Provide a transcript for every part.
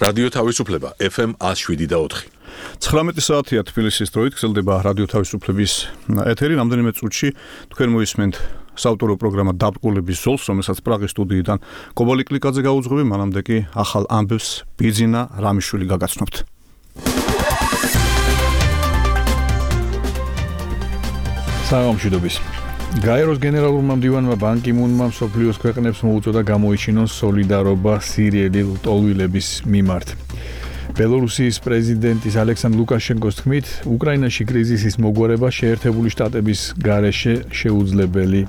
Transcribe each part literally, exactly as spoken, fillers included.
რადიო თავისუფლება ეფ ემ one oh seven და four. ცხრამეტი საათია თბილისის დროით გრძელდება რადიო თავისუფლების ეთერი. რამდენიმე წუთში თქვენ მოისმენთ საავტორო პროგრამა დაბრკოლების ზოლს, რომელსაც პრაღის სტუდიიდან კობალი კლიკაძე გაუძღვები, მანამდე კი ახალ ამბებს ბიძინა რამიშვილი გაგაცნობთ. საღამოშიდობის. გაეროს გენერალურმა მდივანმა ბან კი მუნმა მსოფლიოს ქვეყნებს მოუწოდა გამოიჩინონ სოლიდარობა სირიელი ლტოლვილების მიმართ. ბელორუსიის პრეზიდენტის ალექსანდრ ლუკაშენკოს თქმით, უკრაინაში კრიზისის მოგვარება შეერთებული შტატების გარეშე შეუძლებელი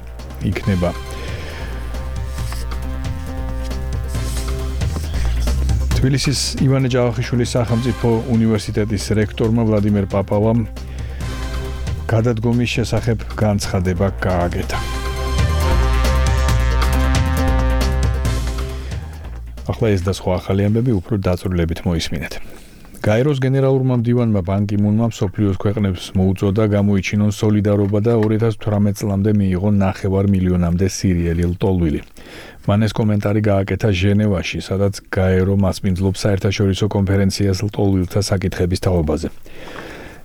იქნება. თბილისის ივანე ჯავახიშვილის სახელმწიფო უნივერსიტეტის რექტორმა ვლადიმერ პაპავამ გადადგომის შესახებ განცხადება გააკეთა. ახლა ეს და სხვა ახალი ამბები უფრო დაწვრილებით მოისმინეთ. გაეროს გენერალურმა მდივანმა ბან კი მუნმა მსოფლიოს ქვეყნებს მოუწოდა გამოიჩინონ სოლიდარობა და two thousand eighteen წლამდე მიიღონ ნახევარ მილიონამდე სირიელი ლტოლვილი. მან ეს კომენტარი გააკეთა ჟენევაში, სადაც გაერო მასპინძლობს საერთაშორისო კონფერენციას ლტოლვილთა საკითხების თაობაზე.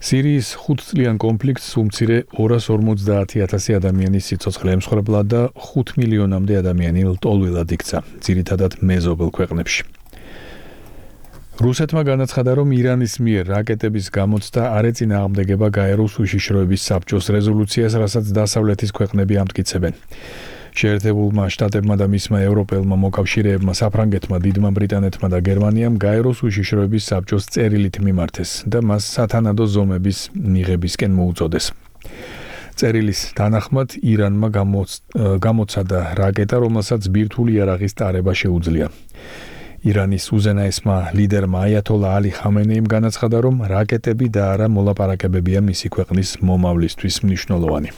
სირიის ხუთწლიან კონფლიქტს უმცირე two hundred forty thousand ადამიანის სიცოცხლე ემსხვერპლა და five მილიონამდე ადამიანი ლტოლვილად იქცა, ძირითადად მეზობელ ქვეყნებში. რუსეთმა განაცხადა, რომ ირანის მიერ რაკეტების გამოცდა არ ეწინააღმდეგება გაეროს უშიშროების საბჭოს რეზოლუციას, რასაც დასავლეთის ქვეყნები ამტკიცებენ. შეერთებულმა შტატებმა და მისმა ევროპელმა მოკავშირეებმა, საფრანგეთმა, დიდმა ბრიტანეთმა და გერმანიამ გაეროს უშიშროების საბჭოს წერილით მიმართეს და მას სათანადო ზომების მიღებისკენ მოუწოდეს. წერილის თანახმად ირანმა გამოცადა რაკეტა, რომელსაც ბირთვული იარაღის ტარება შეუძლია. ირანის უზენაესმა ლიდერმა აიათოლა ალი ხამენეიმ განაცხადა, რომ რაკეტები და არა მოლაპარაკებებია მისი ქვეყნის მომავლისთვის მნიშვნელოვანი.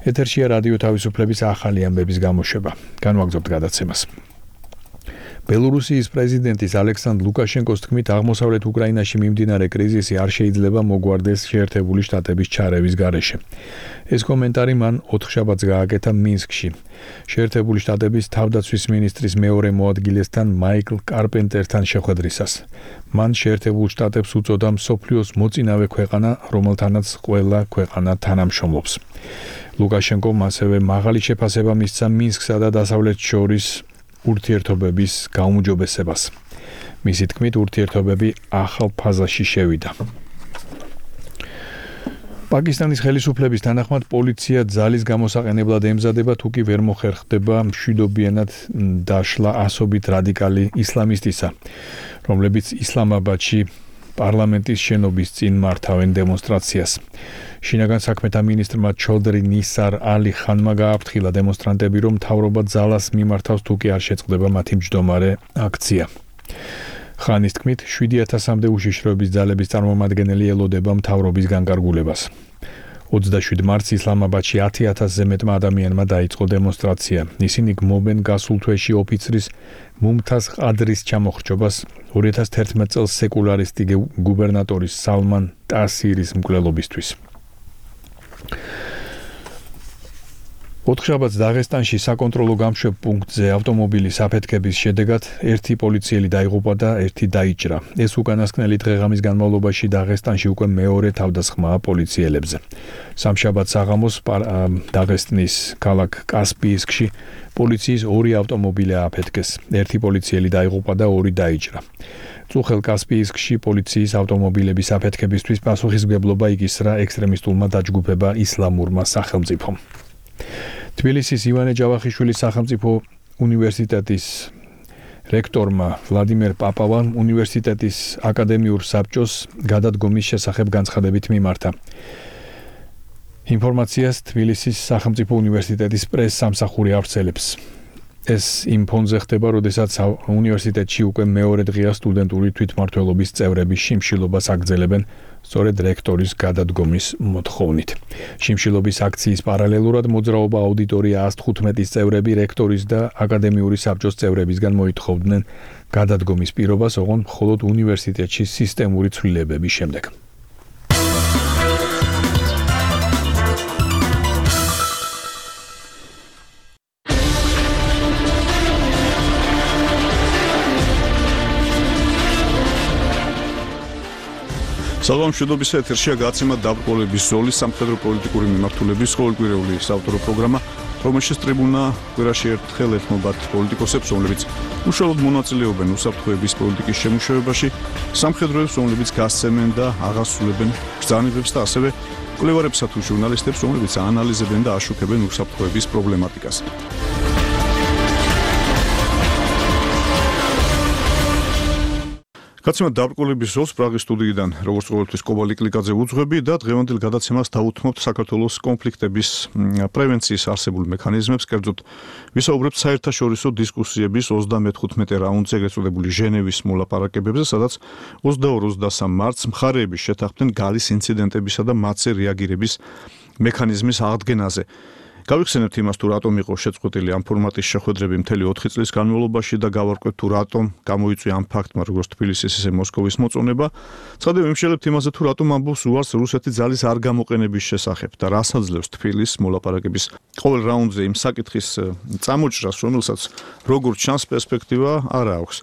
ეთერშია რადიო თავისუფლების ახალი ამბების გამოშვება. განვაგრძობთ გადაცემას. ბელორუსიის პრეზიდენტის ალექსანდრ ლუკაშენკოს თქმით, აღმოსავლეთ უკრაინაში მიმდინარე კრიზისი არ შეიძლება მოგვარდეს შეერთებული შტატების ჩარევის გარეშე. ეს კომენტარი მან ოთხშაბათს გააკეთა მინსკში. შეერთებული შტატების თავდაცვის მინისტრის მეორე მოადგილესთან მაიკლ კარპენტერთან შეხვედრისას. მან შეერთებულ შტატებს უწოდა მსოფლიოს მოწინავე ქვეყანა, რომელთანაც ყველა ქვეყანა თანამშრომლობს. ლუკაშენკომ ასევე მაღალი შეფასება მისცა მინსკსა და დასავლეთს შორის ურთიერთობების გაუმჯობესებას. მისი თქმით, ურთიერთობები ახალ ფაზაში შევიდა. პაკისტანის ხელისუფლების თანახმად პოლიცია ძალის გამოსაყენებლად ემზადება, თუ კი ვერ მოხერხდება მშვიდობიანად დაშლა ასობით რადიკალი ისლამისტისა, რომლებიც ისლამაბადში პარლამენტის შენობის წინ მართავენ დემონსტრაციას. შინაგან საქმეთა მინისტრმა ჩოდრი ნისარ ალი ხანმა გააფრთხილა დემონსტრანტები, რომ მთავრობა ძალას მიმართავს, თუ კი არ შეწყდება მათი მჯდომარე აქცია. ხანის თქმით, seven thousand-მდე უშიშროების ძალების წარმომადგენელი ელოდება მთავრობის განკარგულებას. twenty-seven მარტს ისლამაბადში ten thousand-ზე მეტმა ადამიანმა დაიწყო დემონსტრაცია. ისინი გმობენ გასულ თვეში ოფიცრის მუმთაზ ყადრის ჩამოხრჩობას, two thousand eleven წელს სეკულარისტი გუბერნატორის სალმან ტასირის მკვლელობისთვის. ოთხშაბათს დაღესტანში საკონტროლო გამშვებ პუნქტზე ავტომობილის აფეთქების შედეგად ერთი პოლიციელი დაიღუპა და ერთი დაიჭრა. ეს უკანასკნელი დღეღამის განმავლობაში დაღესტანში უკვე მეორე თავდასხმაა პოლიციელებზე. სამშაბათს საღამოს დაღესტნის ქალაქ კასპიისკში პოლიციის ორი ავტომობილი ააფეთქეს. ერთი პოლიციელი დაიღუპა და ორი დაიჭრა. წუხელ კასპიისკში პოლიციის ავტომობილების აფეთქებისთვის პასუხისმგებლობა იკისრა ექსტრემისტულმა დაჯგუფება ისლამურმა სახელმწიფომ. თბილისის ივანე ჯავახიშვილის სახელმწიფო უნივერსიტეტის რექტორმა ვლადიმერ პაპავამ უნივერსიტეტის აკადემიურ საბჭოს გადადგომის შესახებ განცხადებით მიმართა. ინფორმაციას თბილისის სახელმწიფო უნივერსიტეტის პრეს-სამსახური ავრცელებს. ეს იმ ფონზე ხდება, როდესაც უნივერსიტეტში უკვე მეორე დღეა სტუდენტური თვითმმართველობის წევრების შიმშილობას აგრძელებენ სწორედ რექტორის გადადგომის მოთხოვნით. შიმშილობის აქციის პარალელურად მოძრაობა აუდიტორია one hundred fifteen წევრები რექტორის და აკადემიური საბჭოს წევრებისგან მოითხოვდნენ გადადგომის პირობას, ოღონდ მხოლოდ უნივერსიტეტში სისტემური ცვლილებების შემდეგ. სალამშვიდობისა ეთერშია გაცემა დაბრკოლების ზოლის სამხედრო პოლიტიკური მიმართულების ყოველკვირეული საავტორო პროგრამა, რომელშიც ტრიბუნა კვირაში ერთხელ ეთმობათ პოლიტიკოსებს, რომლებიც უშუალოდ მონაწილეობენ უსაფრთხოების პოლიტიკის შემუშავებაში, სამხედროებს, რომლებიც გასცემენ და აღასრულებენ ბრძანებებს და ასევე კვლევარებსა თუ ჟურნალისტებს, რომლებიც აანალიზებენ და აშუქებენ უსაფრთხოების პრობლემატიკას. გაცემა დაბრკოლების ზოლს პრაღის სტუდიიდან, როგორც ყოველთვის კობალ იკლიკაძე უძღვები და დღევანდელ გადაცემას დავუთმობთ საქართველოს კონფლიქტების პრევენციის არსებულ მექანიზმებს, კერძოდ ვისაუბრებთ საერთაშორისო დისკუსიების ოცდამეთხუთმეტე რაუნდზე ეგრეთ წოდებული ჟენევის მოლაპარაკებებზე, სადაც ოცდაორ ოცდასამ მარტს მხარეები შეთანხმდნენ გალის ინციდენტებისა და მათზე რეაგირების მექანიზმის აღდგენაზე. გავიხსენებთ იმას, თუ რატომ იყო შეწყვეტილი ამ ფორმატის შეხვედრები მთელი ოთხი წლის განმავლობაში და გავარკვევთ, თუ რატომ გამოიწვია ამ ფაქტმა როგორც თბილისის, ისე მოსკოვის მოწონება. ცხადია ვიმშელებთ იმაზე, თუ რატომ ამბობს უარს რუსეთი ძალის არ გამოყენების შესახებ და რას აძლევს თბილისს მოლაპარაკების ყოველ რაუნდზე იმ საკითხის წამოჭრას, რომელსაც როგორც ჩანს პერსპექტივა არ აქვს.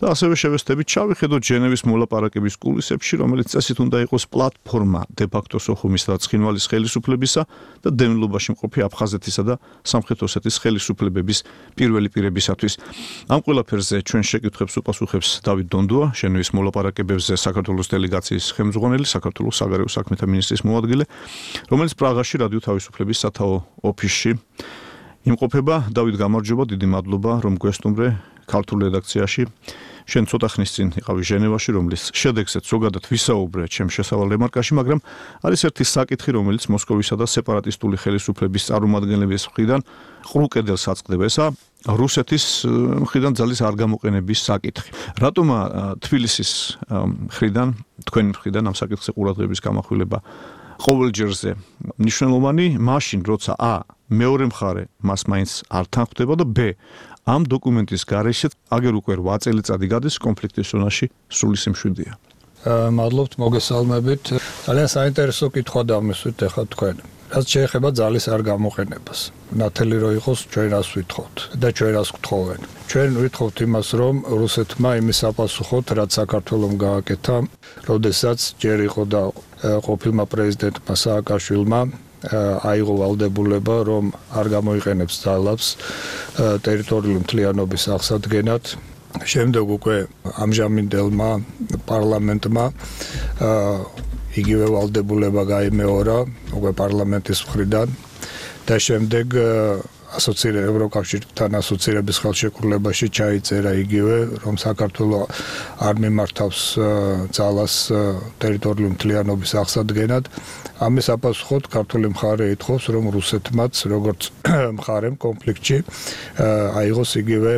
და ასევე შევესწრებით ჩავიხედოთ ჟენევის მოლაპარაკების კულისებში, რომელიც წესით უნდა იყოს პლატფორმა დე-ფაქტო სოხუმის და ცხინვალის ხელისუფლებისა და დევნილობაში მყოფი აფხაზეთისა და სამხრეთ ოსეთის ხელისუფლებების პირველი პირებისათვის. ამ ყველაფერზე ჩვენ შეკითხვებს უპასუხებს დავით დონდუა, ჟენევის მოლაპარაკებებზე საქართველოს დელეგაციის ხელმძღვანელი, საქართველოს საგარეო საქმეთა მინისტრის მოადგილე, რომელიც პრაღაში რადიო თავისუფლების სათაო ოფისში იმყოფება. დავით, გამარჯობა, დიდი მადლობა, რომ გვესტუმრე ქართულ რედაქციაში. შენ ცოტა ხნის წინ იყავი ჟენევაში, რომლის შედეგზეც ზოგადად ვისაუბრე ჩემ შესავალ რემარკაში, მაგრამ არის ერთი საკითხი, რომელიც მოსკოვისა და სეპარატისტული ხელისუფლების წარმომადგენლების მხრიდან ყრუ კედელს აწყდება, ესა რუსეთის მხრიდან ძალის არ გამოყენების საკითხი. რატომა თბილისის მხრიდან, თქვენი მხრიდან ამ საკითხზე ყურადღების გამახვილება ყოველჯერზე მნიშვნელოვანი, მაშინ როცა ა მეორე მხარე მას მაინც არ თანხმდება და ბ ამ დოკუმენტის გარეშე აგერ უკვე რვა წელიწადი გადის კონფლიქტის ზონაში სრული სიმშვიდეა. მადლობთ მოგესალმებით. ძალიან საინტერესო კითხვა დამისვით ახლა თქვენ. რაც შეეხება ძალის არ გამოყენებას. ნათელი რო იყოს ჩვენ რას ვითხოვთ და ჩვენ რას გთხოვენ. ჩვენ ვითხოვთ იმას, რომ რუსეთმა იმის აპასუხოთ, რაც საქართველომ გააკეთა, როდესაც ჯერ იყო და ყოფილმა პრეზიდენტმა სააკაშვილმა აიღო ვალდებულება, რომ არ გამოიყენებს ძალებს ტერიტორიული მთლიანობის აღსადგენად. შემდეგ უკვე ამჟამინდელმა პარლამენტმა იგივე ვალდებულება გაიმეორა უკვე პარლამენტის მხრიდან და შემდეგ ასოცირების ევროკავშირთან ასოცირების ხელშეკრულებაში ჩაიწერა იგივე, რომ საქართველოს არ მიმართავს ძალას ტერიტორიული მთლიანობის აღსადგენად. ამის აპასუხოდ ქართული მხარე ითხოვს, რომ რუსეთმაც როგორც მხარემ კონფლიქტში აიღოს იგივე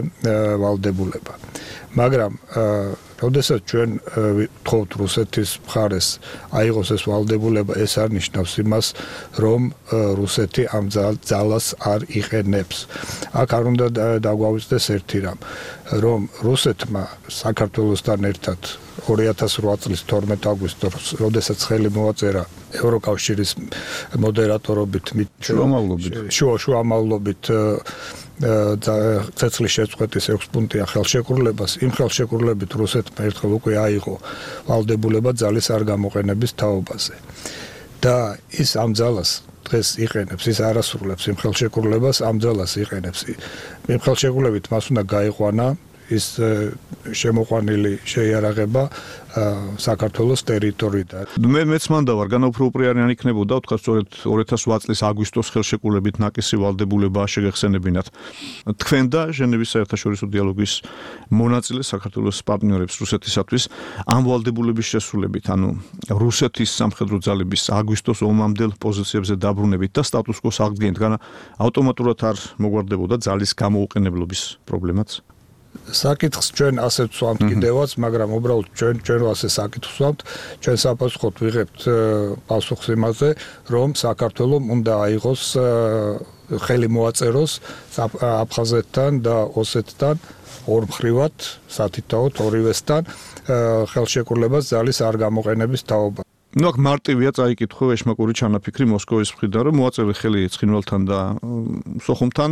ვალდებულება. მაგრამ როდესაც ჩვენ ვთხოვთ რუსეთის მხარეს აიღოს ეს ვალდებულება, ეს არ ნიშნავს იმას, რომ რუსეთი ამ ძალას არ იყენებს. აქ არ უნდა დაგვავიწყდეს ერთი რამ, რომ რუსეთმა საქართველოსთან ერთად ორი ათას რვა წლის თორმეტ აგვისტოს, როდესაც ხელი მოაწერა ევროკავშირის მოდერატორობით, შუამავლობით, შუამავლობით ცეცხლის შეწყვეტის ექვს პუნქტიან ხელშეკრულებას, იმ ხელშეკრულებით რუსეთმა ერთხელ უკვე აიღო ვალდებულება ძალის არ გამოყენების თაობაზე. და ის ამ ძალას დღეს იყენებს, ის არასრულებს იმ ხელშეკრულებას, ამ ძალას იყენებს. იმ ხელშეკრულებით მას უნდა გაიყვანა ის შემოყვანილი შეიარაღება საქართველოს ტერიტორიიდან. მე მეც მანდა ვარ, განაუფროუპრიანი იქნებოდა, თქვა სწორედ ორი ათას რვა წლის აგვისტოს ხელშეკრულებით ნაკისი ვალდებულება შეგეხსენებინათ. თქვენ და ჟენევის საერთაშორისო დიალოგის მონაწილე საქართველოს პარტნიორებს რუსეთისათვის ამ ვალდებულების შესრულებით, ანუ რუსეთის სამხედრო ძალების აგვისტოს ომამდელ პოზიციებზე დაბრუნებით და სტატუს კოს აღდგენით, განა ავტომატურად არ მოგვარდებოდა ძალის გამოუყენებლობის პრობლემაც. საკითხს ჩვენ ასეც ვსვამთ კიდევაც, მაგრამ უბრალოდ ჩვენ ჩვენ ასე საკითხს ვსვამთ, ჩვენ საპასუხოდ ვიღებთ პასუხს იმაზე, რომ საქართველოს უნდა აიღოს ხელი მოაწეროს აფხაზეთთან და ოსეთთან ორმხრივად, სათითაოდ ორივესთან ხელშეკრულებას ძალის არ გამოყენების თაობა. ნუ აქ მარტივია წაიკითხო ეშმაკური ჩანაფიქრი მოსკოვის მხრიდან, რომ მოაწევი ხელი ცხინვალთან და სოხუმთან,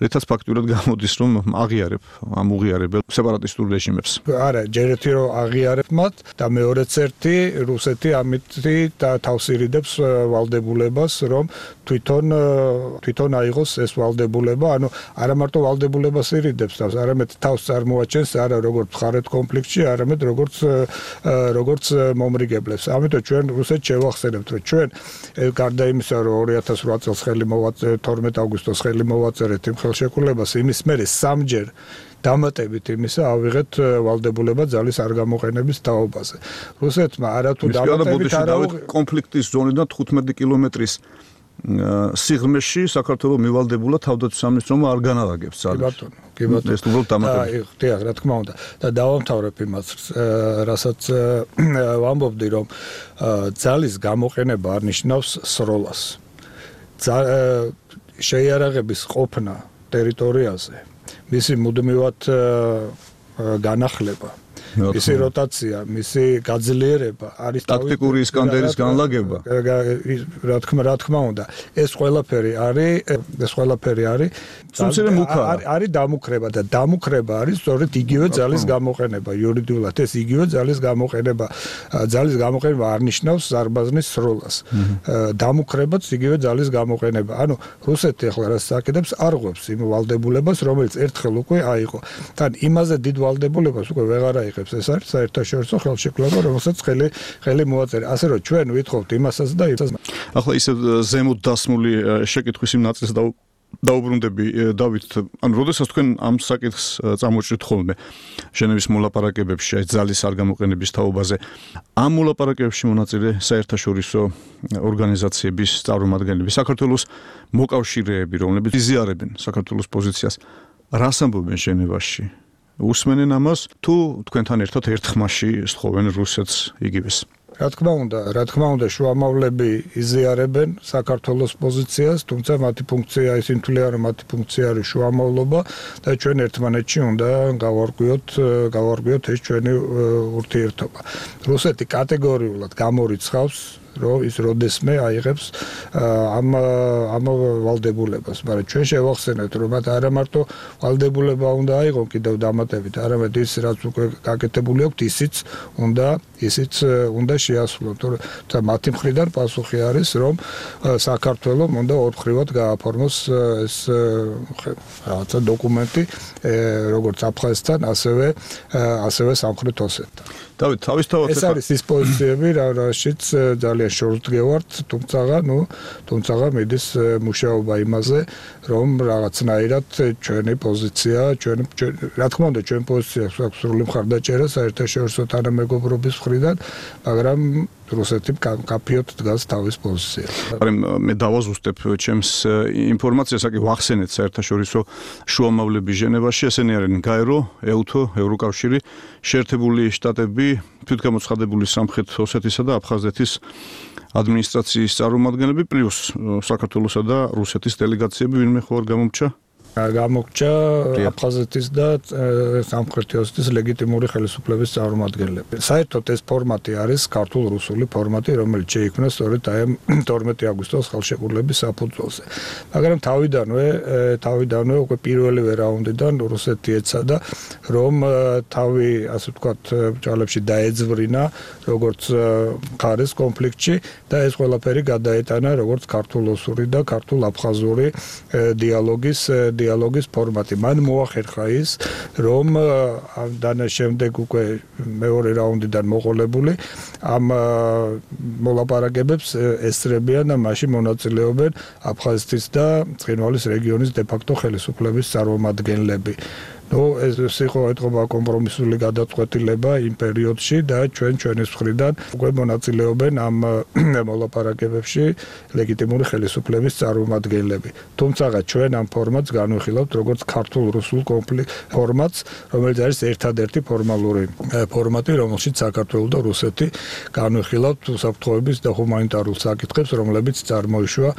რითაც ფაქტურად გამოდის, რომ აღიარებ ამ უღიარებელ სეპარატისტურ რეჟიმებს. არა, ჯერ ერთი რომ აღიარებ მათ და მეორეც ერთი რუსეთი ამით თავს ირიდებს ვალდებულებას, რომ თვითონ თვითონ აიღოს ეს ვალდებულება, ანუ არა მარტო ვალდებულებას ირიდებს თავს, არამედ თავს წარმოაჩენს არა როგორც მხარეთ კონფლიქტში, არამედ როგორც როგორც მომრიგებლებს. ამიტომ ჩვენ რუსეთს შევახსენებთ, რომ ჩვენ გარდა იმისა, რომ ორი ათას ოთხ წელს ხელი მოვაწერეთ, თორმეტ აგვისტოს ხელი მოვაწერეთ იმ ხელშეკრულებას, იმის მერე სამჯერ დამატებით იმისა ავიღეთ ვალდებულება ძალის არ გამოყენების თაობაზე. რუსეთმა არათუ დამატებით არა კონფლიქტის ზონიდან თხუთმეტი კილომეტრის სიღრმეში საქართველოს მივალდებულა თავდაცვის სამინისტრომ არ განალაგებს ძალებს. კი ბატონო, კი ბატონო. ეს უბრალოდ დამატებით. დიახ, რა თქმა უნდა. და დავამთავრებ იმას, რასაც ვამბობდი, რომ ძალის გამოყენება არ ნიშნავს სროლას. შეიარაღების ყოფნა ტერიტორიაზე, მისი მუდმივად განახლება, მისი როტაცია, მისი გაძლიერება არის ტაქტიკური ისკანდერის განლაგება. რა თქმა რა თქმა უნდა, ეს ყველაფერი არის, ეს ყველაფერი არის არის დამუქრება და დამუქრება არის სწორედ იგივე ძალის გამოყენება, იურიდიულად ეს იგივე ძალის გამოყენება, ძალის გამოყენება არ ნიშნავს ზარბაზნის სროლას. დამუქრებაც იგივე ძალის გამოყენება. ანუ რუსეთი ახლა რაც საკეთებს, არღვევს იმ ვალდებულებას, რომელიც ერთხელ უკვე აიღო. თან იმაზე დიდ ვალდებულებას უკვე ვეღარ აიღებს. ეს არის საერთაშორისო ხელშეკრულება, რომელსაც ხელი ხელი მოაწერა. ასე რომ ჩვენ ვითხოვთ იმასაც და იმასაც. ახლა ისე ზემოთ დასმული შეკითხვის იმ ნაწილს და დაუბრუნდები დავით, ანუ როდესაც თქვენ ამ საკითხს წამოჭრით ხოლმე ჟენევის მოლაპარაკებებში აი ძალის არ გამოყენების თაობაზე, ამ მოლაპარაკებებში მონაწილე საერთაშორისო ორგანიზაციების წარმომადგენლები, საქართველოს მოკავშირეები, რომლებიც იზიარებენ საქართველოს პოზიციას, რას ამბობენ ჟენევაში? უსმენენ ამას თუ თქვენთან ერთად ერთ ხმაში სთხოვენ რუსეთს იგივეს? რა თქმა უნდა, რა თქმა უნდა, შუამავლები იზიარებენ საქართველოს პოზიციას, თუმცა მათი ფუნქცია ისინი თვლიან, რომ მათი ფუნქცია არის შუამავლობა და ჩვენ ერთმანეთში უნდა გავარკვიოთ, გავარკვიოთ ეს ჩვენი ურთიერთობა. რუსეთი კატეგორიულად გამორიცხავს რომ ის როდესმე აიღებს ამ ამ ვალდებულებას, მაგრამ ჩვენ შევახსენებთ, რომ მათ არა მარტო ვალდებულება უნდა აიღონ კიდევ დამატებით, არამედ ის რაც უკვე გაკეთებული აქვს, ისიც უნდა ისიც უნდა შეასრულონ. თუმცა მათი მხრიდან პასუხი არის, რომ საქართველოს უნდა ორმხრივად გააფორმოს ეს რაღაცა დოკუმენტი, როგორც აფხაზეთთან, ასევე ასევე სამხრეთ ოსეთთან. დავით, თავისთავად ეს არის ის პოზიციები, რაშიც ძალიან შორსდგევართ, თუმცა, ნუ, თუმცა მიდის მუშაობა იმაზე, რომ რაღაცნაირად ჩვენი პოზიცია, ჩვენ რა თქმა უნდა, ჩვენ პოზიციას აქვს სრული მხარდაჭერა საერთაშორისო თანამეგობრობის მხრიდან, მაგრამ რუსეთი კაფიოდ დგას თავის პოზიციას. მე დავაზუსტებ ჩემს ინფორმაციას, აკი ვახსენეთ საერთაშორისო შუამავლები ჟენევაში, ესენი არიან გაერო, ეუთო, ევროკავშირი, შეერთებული შტატები, თვითგამოცხადებული სამხრეთ ოსეთისა და აფხაზეთის ადმინისტრაციის წარმომადგენლები, პლუს საქართველოსა და რუსეთის დელეგაციები, ვინმე ხო არ გამომრჩა? გამოგჭა აფხაზეთის და სამხრეთ ოსეთის ლეგიტიმური ხელისუფლების წარმომადგენლები. საერთოდ ეს ფორმატი არის ქართულ-რუსული ფორმატი, რომელიც შეიქმნა სწორედ აი თორმეტი აგვისტოს ხელშეკრულების საფუძველზე. მაგრამ თავიდანვე, თავიდანვე უკვე პირველივე რაუნდიდან რუსეთი ეცადა, რომ თავი, ასე ვთქვათ, ბრძოლებში დაეძვრინა, როგორც მხარეს კონფლიქტში და ეს ყველაფერი გადაეტანა როგორც ქართულ-რუსული და ქართულ-აფხაზური დიალოგის დიალოგის ფორმატი. მან მოახერხა ის, რომ დანა შემდეგ უკვე მეორე რაუნდიდან მოყოლებული ამ მოლაპარაკებებს ესწრებიან და მასში მონაწილეობენ აფხაზეთის და ცხინვალის რეგიონის დე-ფაქტო ხელისუფლების წარმომადგენლები. ნუ ეს იყო ეთყობა კომპრომისული გადაწყვეტილება იმ პერიოდში და ჩვენ ჩვენის მხრიდან უკვე მონაწილეობენ ამ მოლაპარაკებებში ლეგიტიმური ხელისუფლების წარმომადგენლები. თუმცა ჩვენ ამ ფორმატს განვიხილავთ როგორც ქართულ-რუსულ კონფლიქტ ფორმატს, რომელიც არის ერთადერთი ფორმალური ფორმატი, რომელშიც საქართველო და რუსეთი განვიხილავთ უსაფრთხოების და ჰუმანიტარულ საკითხებს, რომლებიც წარმოიშვა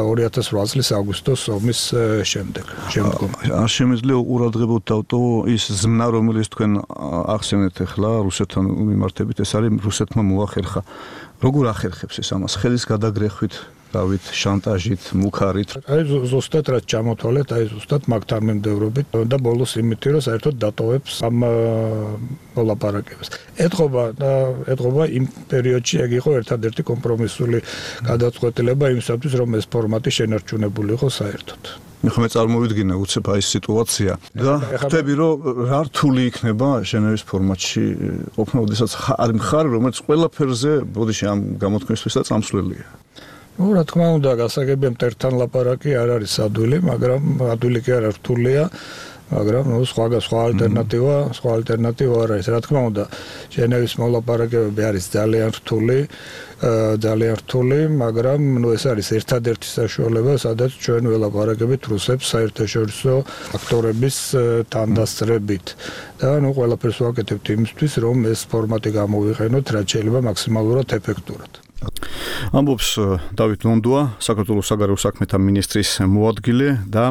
ორი ათას ოთხ წლის აგვისტოს ომის შემდეგ. შემდგომ. არ შემეძლია უყურადღებოდ დავტო ის ზმნა რომელიც თქვენ ახსენეთ ახლა რუსეთთან მიმართებით ეს არის რუსეთმა მოახერხა როგორ ახერხებს ეს ამას ხელის გადაგრეხვით დავით შანტაჟით მუქარით აი ზუსტად რაც ჩამოთვალეთ აი ზუსტად მაგთან მიმდევრობით და ბოლოს იმითი რომ საერთოდ დატოვებს ამ მოლაპარაკებებს ეთყობა და ეთყობა იმ პერიოდში ეგ იყო ერთადერთი კომპრომისული გადაწყვეტილება იმისათვის რომ ეს ფორმატი შენარჩუნებული იყო საერთოდ მე ხომ წარმოვიდგინე უცებ აი ეს სიტუაცია და ხვდები რომ რა რთული იქნება ჟენევის ფორმატში ყოფნა ოდესაც არის მხარე რომელიც ყველაფერზე ბოდიში ამ გამოთქმისთვისაც წამსვლელია ну რა თქმა უნდა გასაგებია მტერთან ლაპარაკი არ არის ადვილი მაგრამ ადვილი კი არა რთულია მაგრამ ნუ სხვა სხვა ალტერნატივა სხვა ალტერნატივა არ არის რა თქმა უნდა ჟენევის მოლაპარაკებები არის ძალიან რთული ძალიან რთული მაგრამ ნუ ეს არის ერთადერთი საშუალება სადაც ჩვენ ველაპარაკებით რუსებს საერთაშორისო ფაქტორების თანდასწრებით და ნუ ყველაფერს ვაკეთებთ იმისთვის რომ ეს ფორმატი გამოვიყენოთ რაც შეიძლება მაქსიმალურად ეფექტურად ამბობს დავით ნონდუა საქართველოს საგარეო საქმეთა მინისტრის მოადგილე და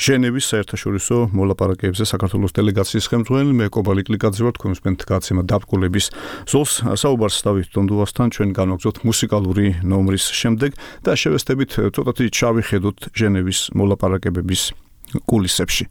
ჟენევის საერთაშორისო მოლაპარაკებებზე საქართველოს დელეგაციის ხელმძღვანელი მე კობალი კლიკაძე ვარ თქვენ უსმენთ გაცემა დაბრკოლების ზოლს საუბარს დავით ნონდუასთან ჩვენ განვაგრძობთ მუსიკალური ნომრის შემდეგ და შევესწრებით ცოტათი ჩავიხედოთ ჟენევის მოლაპარაკებების კულისებში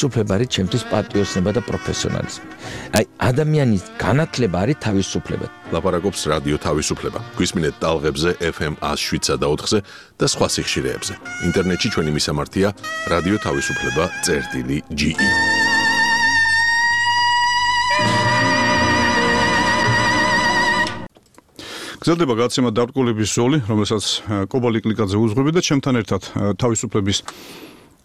თავისუფლება არის ჩემთვის პატრიოტიზმი და პროფესიონალიზმი. აი ადამიანის განათლება არის თავისუფლება. ლაპარაკობს რადიო თავისუფლება. გვისმინეთ ტალღებზე ეფ ემ ათს შვიდსა და ოთხზე და სხვა სიხშირეებზე. ინტერნეტში ჩვენი მისამართია რადიო თავისუფლება წერტილი ჯი ი. გრძელდება გაცემა დაბრკოლების ზოლი, რომელსაც კობალი კლიკაძე უძღვები და ჩემთან ერთად თავისუფლების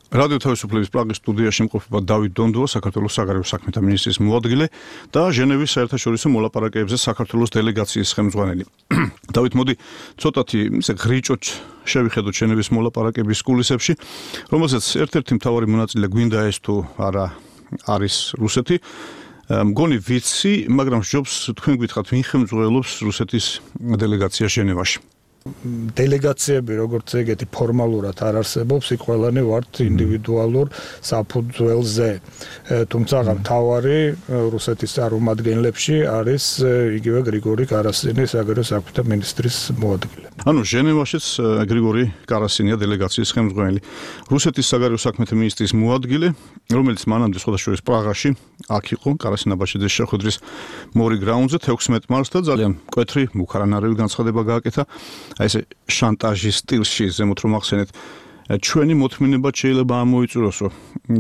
რადიო თავისუფლების პრაღის სტუდიაში იმყოფება დავით დონდუა, საქართველოს საგარეო საქმეთა მინისტრის მოადგილე და ჟენევის საერთაშორისო მოლაპარაკებებზე საქართველოს დელეგაციის ხელმძღვანელი. დავით, მოდი ცოტათი ისე ღრიჭოთ შევიხედოთ ჟენევის მოლაპარაკების კულისებში, რომელსაც ერთ-ერთი მთავარი მონაწილე გვინდა ეს თუ არა არის რუსეთი. მგონი ვიცი, მაგრამ ჯობს თქვენ გითხრათ, ვინ ხელმძღვანელობს რუსეთის დელეგაციას ჟენევაში. დელეგაციები როგორც ეგეთი ფორმალურად არ არსებობს, იქ ყველანი ვართ ინდივიდუალურ საფუძველზე. თუმცა მთავარი რუსეთის წარმომადგენლებში არის იგივე გრიგორი კარასინი, საგარეო საქმეთა მინისტრის მოადგილე. ანუ ჟენევაშიც გრიგორი კარასინია დელეგაციის ხელმძღვანელი. რუსეთის საგარეო საქმეთა მინისტრის მოადგილე, რომელიც მანამდე სხვადასხვა პრაღაში აქ იყო კარასინაბაშიძის შეხვედრის მორიგ რაუნდზე თექვსმეტ მარტს და ძალიან მკვეთრი მუქარანარევი განცხადება გააკეთა. აი ესე შანტაჟის სტილში ზემოთ რომ ახსენეთ ჩვენი მოთმინება შეიძლება ამოიწუროსო.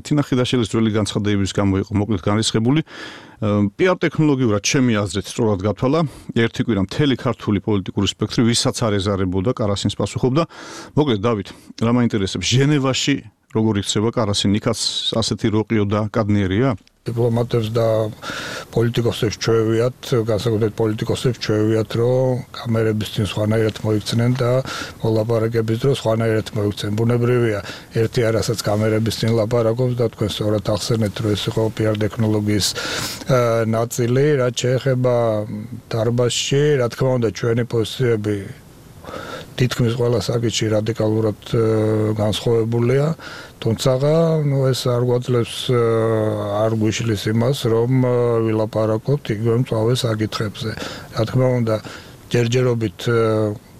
თინა ხიდაშელის ძველი განცხადებების გამო იყო მოკლედ განრისხებული. პიარ ტექნოლოგიურად ჩემი აზრით სწორად გათვალა. ერთი კვირა მთელი ქართული პოლიტიკური სპექტრი ვისაც არ ეზარებოდა კარასინს პასუხობდა. მოკლედ დავით, რა მაინტერესებს ჟენევაში როგორ იქცევა კარასინი, იქაც ასეთი როყიო და კადნიერია? დიპლომატებს და პოლიტიკოსებს ჩვევიათ, განსაკუთრებით პოლიტიკოსებს ჩვევიათ, რომ კამერების წინ სხვანაირად მოიქცნენ და მოლაპარაკების დროს სხვანაირად მოიქცნენ. ბუნებრივია, ერთი არასაც კამერების წინ ლაპარაკობს და თქვენ სწორად ახსენეთ, რომ ეს იყო პიარ ტექნოლოგიის ნაწილი, რაც შეეხება დარბაზში, რა თქმა უნდა, ჩვენი პოზიციები თითქმის ყველა საკითხში რადიკალურად განსხვავებულია. თუმცა, ნუ ეს არ გვაძლევს არ გვიშლის იმას, რომ ვილაპარაკოთ იგივე მწვავე საკითხებზე. რა თქმა უნდა, ჯერჯერობით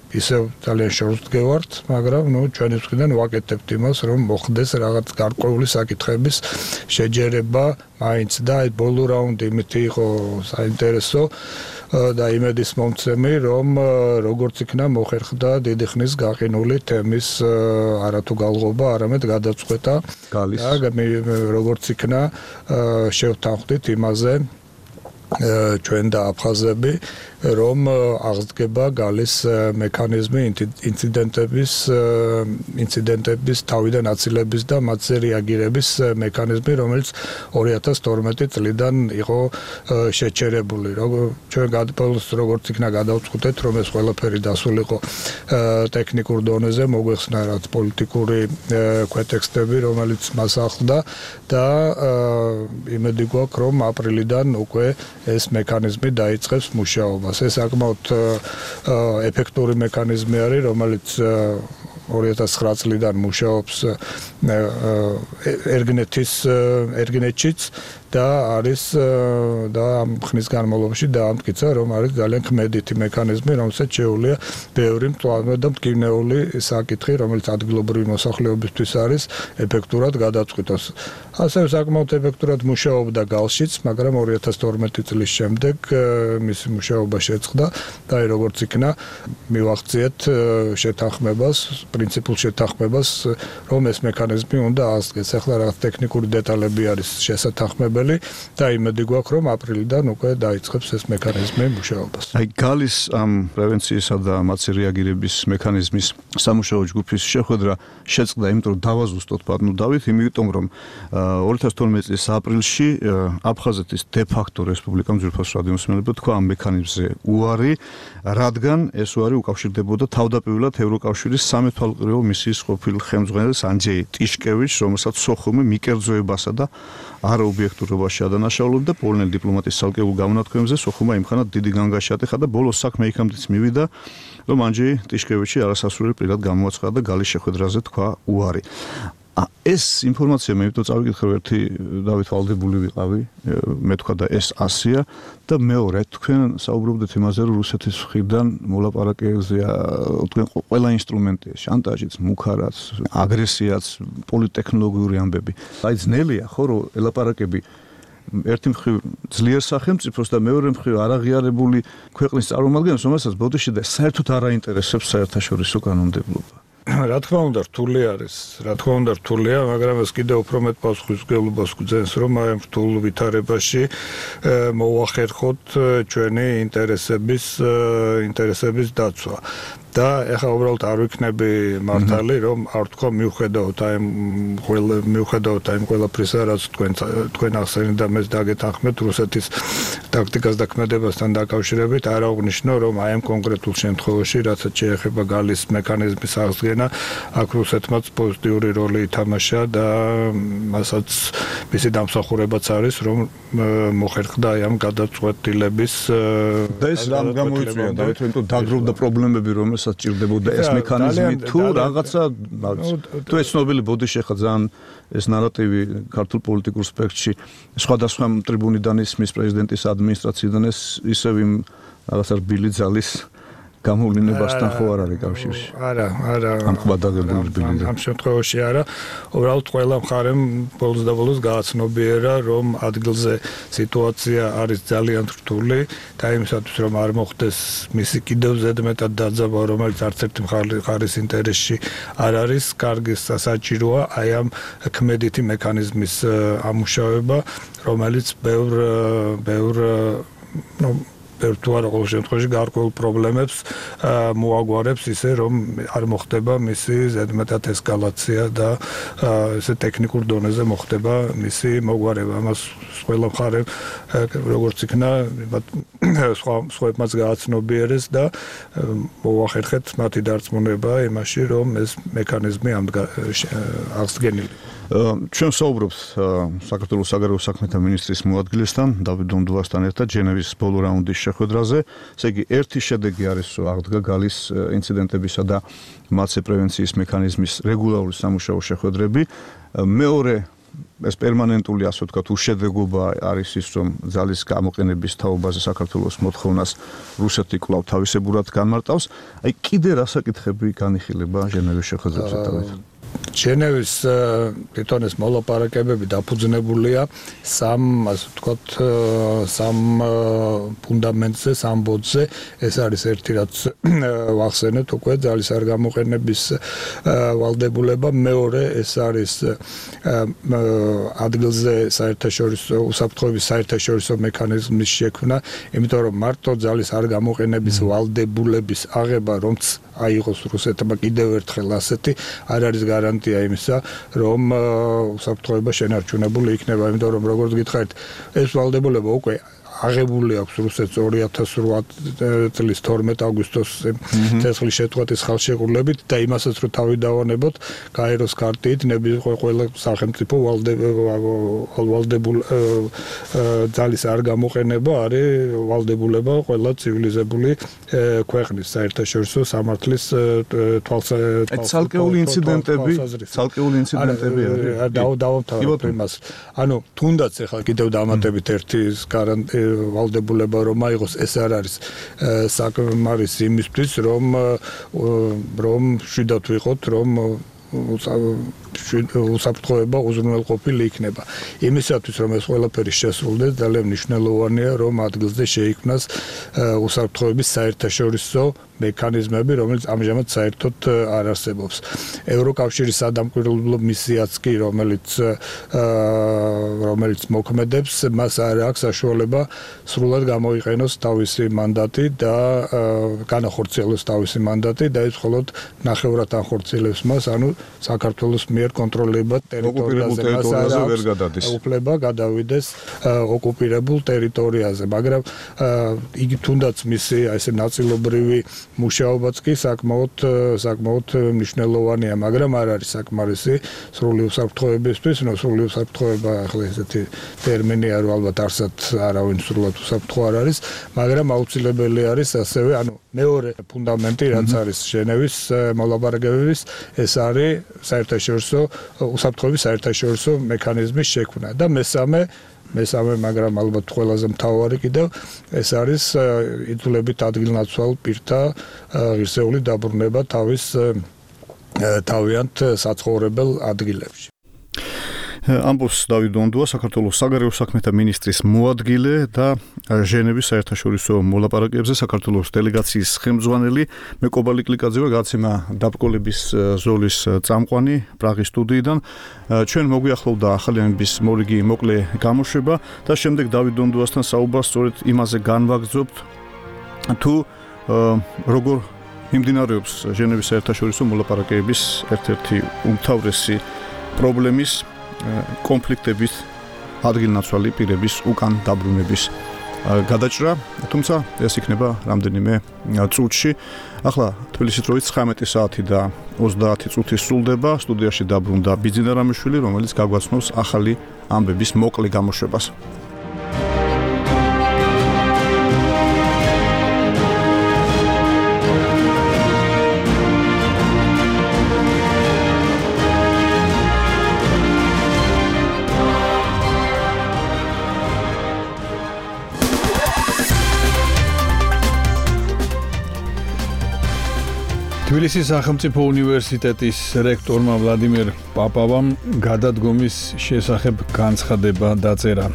ისევ ძალიან შორს დგევართ, მაგრამ ნუ ჩვენი მხრიდან ვაკეთებთ იმას, რომ მოხდეს რაღაც გარკვეული საკითხების შეჯერება მაინც და აი ბოლო რაუნდი იმითი იყო საინტერესო და იმედის მომცემი, რომ როგორც იქნა მოხერხდა დიდი ხნის გაყინული თემის არათუ გალღობა, არამედ გადაწყვეტა და როგორც იქნა შევთანხმდით იმაზე ჩვენ და აფხაზები, რომ აღდგება გალის მექანიზმი ინციდენტების ინციდენტების თავიდან აცილების და მათზე რეაგირების მექანიზმი, რომელიც ორი ათას თორმეტი წლიდან იყო შეჩერებული. ჩვენ გადაბოლოს როგორც იქნა გადავწყვეტეთ, რომ ეს ყველაფერი დასულიყო ტექნიკურ დონეზე, მოგვეხსნა რაც პოლიტიკური ქვეტექსტები, რომელიც მას ახლდა და იმედი გვაქვს, რომ აპრილიდან უკვე ეს მექანიზმი დაიწყებს მუშაობას. ეს საკმაოდ ეფექტური მექანიზმი არის, რომელიც ორი ათას ცხრა წლიდან მუშაობს ერგნეთის ერგნეთშიც და არის და ამ ხნის განმავლობაში დაამტკიცა, რომ არის ძალიან ქმედითი მექანიზმი, რომელსაც შეუძლია ბევრი მწვავე და მტკივნეული საკითხი, რომელიც ადგილობრივი მოსახლეობისთვის არის, ეფექტურად გადაწყვეტოს. ასევე საკმაოდ ეფექტურად მუშაობდა გალშიც, მაგრამ ორი ათას თორმეტი წლის შემდეგ მისი მუშაობა შეწყდა და აი როგორც იქნა მივახციეთ შეთანხმებას, პრინციპულ შეთანხმებას, რომ ეს მექანიზმი უნდა აღდგეს. ახლა რაღაც ტექნიკური დეტალები არის შესათანხმებელი და იმედი გვაქვს, რომ აპრილიდან უკვე დაიწყებს ეს მექანიზმი მუშაობას. აი გალის ამ პრევენციისა და მათზე რეაგირების მექანიზმის სამუშაო ჯგუფის შეხვედრა შეწყდა, იმიტომ რომ დავაზუსტოთ ბატონო დავით, იმიტომ რომ ორი ათას თორმეტი წლის აპრილში აფხაზეთის დე-ფაქტო რესპუბლიკამ ძვირფას რადიომსმენელმა თქვა ამ მექანიზმზე უარი, რადგან ეს უარი უკავშირდებოდა თავდაპირველად ევროკავშირის სამეთვალყურეო მისიის ყოფილ ხელმძღვანელს ანჯეი ტიშკევიჩს, რომელსაც სოხუმი მიკერძოებასა და არაობიექტურობაში ადანაშაულებდა პოლონელი დიპლომატის ცალკეულ გამონათქვამებზე სოხუმმა იმხანა დიდი განგაში ატეხა და ბოლოს საქმე იქამდეც მივიდა, რომ ანჯეი ტიშკევიჩი არასასურველი პირად გამოაცხადა და გალის შეხვედრაზე თქვა უარი. ეს ინფორმაცია მე ვიტო წავიკითხე ერთი დავით ვალდებული ვიყავი, მე თქვა და ეს ასია და მეორე თქვენ საუბრობდით იმაზე, რომ რუსეთის მხრიდან მოლაპარაკებზეა თქვენ ყველა ინსტრუმენტია, შანტაჟიც, მუქარაც, აგრესიაც, პოლიტექნოლოგიური ამბები. აი ძნელია ხო რომ ელაპარაკები ერთი მხრივ ძლიერ სახელმწიფოს და მეორე მხრივ არაღიარებული ქვეყნის წარმომადგენლებს, რომელსაც ბოდიში და საერთოდ არ აინტერესებს საერთაშორისო კანონმდებლობა. რა თქმა უნდა რთული არის, რა თქმა უნდა რთულია, მაგრამ ეს კიდევ უფრო მეტ პასუხისმგებლობას გვძენს, რომ აი ამ რთულ ვითარებაში მოვახერხოთ ჩვენი ინტერესების ინტერესების დაცვა. და ეხლა უბრალოდ არ ვიქნები მართალი, რომ არ თქვა მიუხედავთ აი ყველა მიუხედავთ აი ყველაფრისა, რაც თქვენ თქვენ ახსენეთ და მეც დაგეთანხმეთ რუსეთის ტაქტიკას და ქმედებასთან დაკავშირებით, არ აღნიშნო, რომ აი ამ კონკრეტულ შემთხვევაში, რასაც შეეხება გალის მექანიზმის აღდგენა, აქ რუსეთმაც პოზიტიური როლი ითამაშა და მასაც მისი დამსახურებაც არის, რომ მოხერხდა აი ამ გადაწყვეტილების და ეს რამ გამოიწვია, დავით, რომ დაგროვდა პრობლემები, რომელსაც რასაც ჭირდებოდა ეს მექანიზმი თუ რაღაცა თუ ეს ცნობილი ბოდიში ხა ძალიან ეს ნარატივი ქართულ პოლიტიკურ სპექტრში სხვადასხვა ტრიბუნიდან ისმის პრეზიდენტის ადმინისტრაციიდან ეს ისევ იმ რაღაცა რბილი ძალის გამოვლენებასთან ხო არ არის კავშირში? არა, არა. ამ ხვადაგებული რბილი. ამ შემთხვევაში არა. უბრალოდ ყველა მხარემ ბოლოს და ბოლოს გააცნობიერა, რომ ადგილზე სიტუაცია არის ძალიან რთული და იმისათვის რომ არ მოხდეს მისი კიდევ ზედმეტად დაძაბვა, რომელიც არც ერთი მხარის ინტერესში არ არის, კარგი საჭიროა აი ამ ქმედითი მექანიზმის ამუშავება, რომელიც ბევრ ბევრ ნუ თუ არა ყოველ შემთხვევაში გარკვეულ პრობლემებს მოაგვარებს ისე რომ არ მოხდება მისი ზედმეტად ესკალაცია და ესე ტექნიკურ დონეზე მოხდება მისი მოგვარება. ამას ყველა მხარე როგორც იქნა სხვა სხვებმაც გააცნობიერეს და მოახერხეთ მათი დარწმუნება იმაში რომ ეს მექანიზმი აღსდგენილი. ჩვენ საუბრობთ საქართველოს საგარეო საქმეთა მინისტრის მოადგილესთან დავით დონდუასთან ერთად ჟენევის ბოლო რაუნდის შეხვედრაზე. ესე იგი ერთი შედეგი არის აღდგა გალის ინციდენტებისა და მათზე პრევენციის მექანიზმის რეგულარული სამუშაო შეხვედრები. მეორე ეს პერმანენტული ასე ვთქვათ უშედეგობა არის ის რომ ძალის გამოყენების თაობაზე საქართველოს მოთხოვნას რუსეთი კვლავ თავისებურად განმარტავს. აი კიდე რა საკითხები განიხილება ჟენევის შეხვედრებზე დავით? ჟენევის თვითონ ეს მოლაპარაკებები დაფუძნებულია სამ ასე ვთქვათ სამ ფუნდამენტზე, სამ ბოძზე. ეს არის ერთი რაც ვახსენეთ უკვე ძალის არ გამოყენების ვალდებულება, მეორე ეს არის ადგილზე საერთაშორისო უსაფრთხოების საერთაშორისო მექანიზმის შექმნა, იმიტომ რომ მარტო ძალის არ გამოყენების ვალდებულების აღება რომც აიღოს რუსეთმა კიდევ ერთხელ ასეთი არ არის გარანტია იმისა, რომ უსაფრთხოება შენარჩუნებული იქნება, იმიტომ რომ როგორც გითხარით, ეს ვალდებულება უკვე აღებული აქვს რუსეთს ორი ათას რვა წლის თორმეტ აგვისტოს ცეცხლის შეწყვეტის ხალხშეყრილობით და იმასაც რომ თავი დავანებოთ გაეროს ქარტით ყველა სახელმწიფო ვალდებულ ძალის არ გამოყენება არის ვალდებულება ყველა ცივილიზებული ქვეყნის საერთაშორისო სამართლის თვალსაზრისით. ცალკეული ინციდენტები, ცალკეული ინციდენტები არის. დავამთავრებ იმას. ანუ თუნდაც ახლა კიდევ დამატებით ერთი გარანტია ვალდებულება რომ აიღოს ეს არ არის საკმარის იმისთვის რომ რომ შვიდად ვიყოთ რომ უსაფრთხოება უზრუნველყოფილი იქნება. იმისათვის რომ ეს ყველაფერი შესრულდეს ძალიან მნიშვნელოვანია რომ ადგილზე შეიქმნას უსაფრთხოების საერთაშორისო მექანიზმები, რომელიც ამჟამად საერთოდ არ არსებობს. ევროკავშირის სადამკვირვებლო მისიაც კი, რომელიც რომელიც მოქმედებს, მას არ აქვს საშუალება სრულად გამოიყენოს თავისი მანდატი და განახორციელოს თავისი მანდატი და ეს მხოლოდ ნახევრად ახორციელებს მას, ანუ საქართველოს მიერ კონტროლირებად ტერიტორიაზე ვერ გადადის. უფლება გადავიდეს ოკუპირებულ ტერიტორიაზე, მაგრამ იგი თუნდაც მისი ესე ნაწილობრივი მუშაობაც კი საკმაოდ საკმაოდ მნიშვნელოვანია, მაგრამ არ არის საკმარისი სრული უსაფრთხოებისთვის, ნუ სრული უსაფრთხოება ახლა ესეთი ტერმინია რომ ალბათ არსად არავინ სრულად უსაფრთხო არ არის, მაგრამ აუცილებელი არის ასევე, ანუ მეორე ფუნდამენტი რაც არის ჟენევის მოლაპარაკებების, ეს არის საერთაშორისო უსაფრთხოების საერთაშორისო მექანიზმის შექმნა და მესამე მესამე, მაგრამ ალბათ ყველაზე მთავარი კიდევ ეს არის იძულებით ადგილნაცვალ პირთა ღირსეული დაბრუნება თავის თავიანთ საცხოვრებელ ადგილებში. ამბობს დავით დონდუა, საქართველოს საგარეო საქმეთა მინისტრის მოადგილე და ჟენევის საერთაშორისო მოლაპარაკებებზე საქართველოს დელეგაციის ხელმძღვანელი. მე კობალი კლიკაძე ვარ, გადაცემა დაბრკოლების ზოლის წამყვანი პრაღის სტუდიიდან. ჩვენ მოგვიახლოვდა ახალი ამბის მორიგი მოკლე გამოშვება და შემდეგ დავით დონდუასთან საუბარს სწორედ იმაზე განვაგრძობთ, თუ როგორ მიმდინარეობს ჟენევის საერთაშორისო მოლაპარაკებების ერთ-ერთი უმთავრესი პრობლემის კონფლიქტების ადგილნაცვალი პირების უკან დაბრუნების გადაჭრა, თუმცა ეს იქნება რამდენიმე წუთში. ახლა თბილისის დროით ცხრამეტი საათი და ოცდაათი წუთი სრულდება. სტუდიაში დაბრუნდა ბიძინა რამიშვილი, რომელიც გაგვაცნობს ახალი ამბების მოკლე გამოშვებას. თბილისის სახელმწიფო უნივერსიტეტის რექტორმა ვლადიმერ პაპავამ გადადგომის შესახებ განცხადება დაწერა.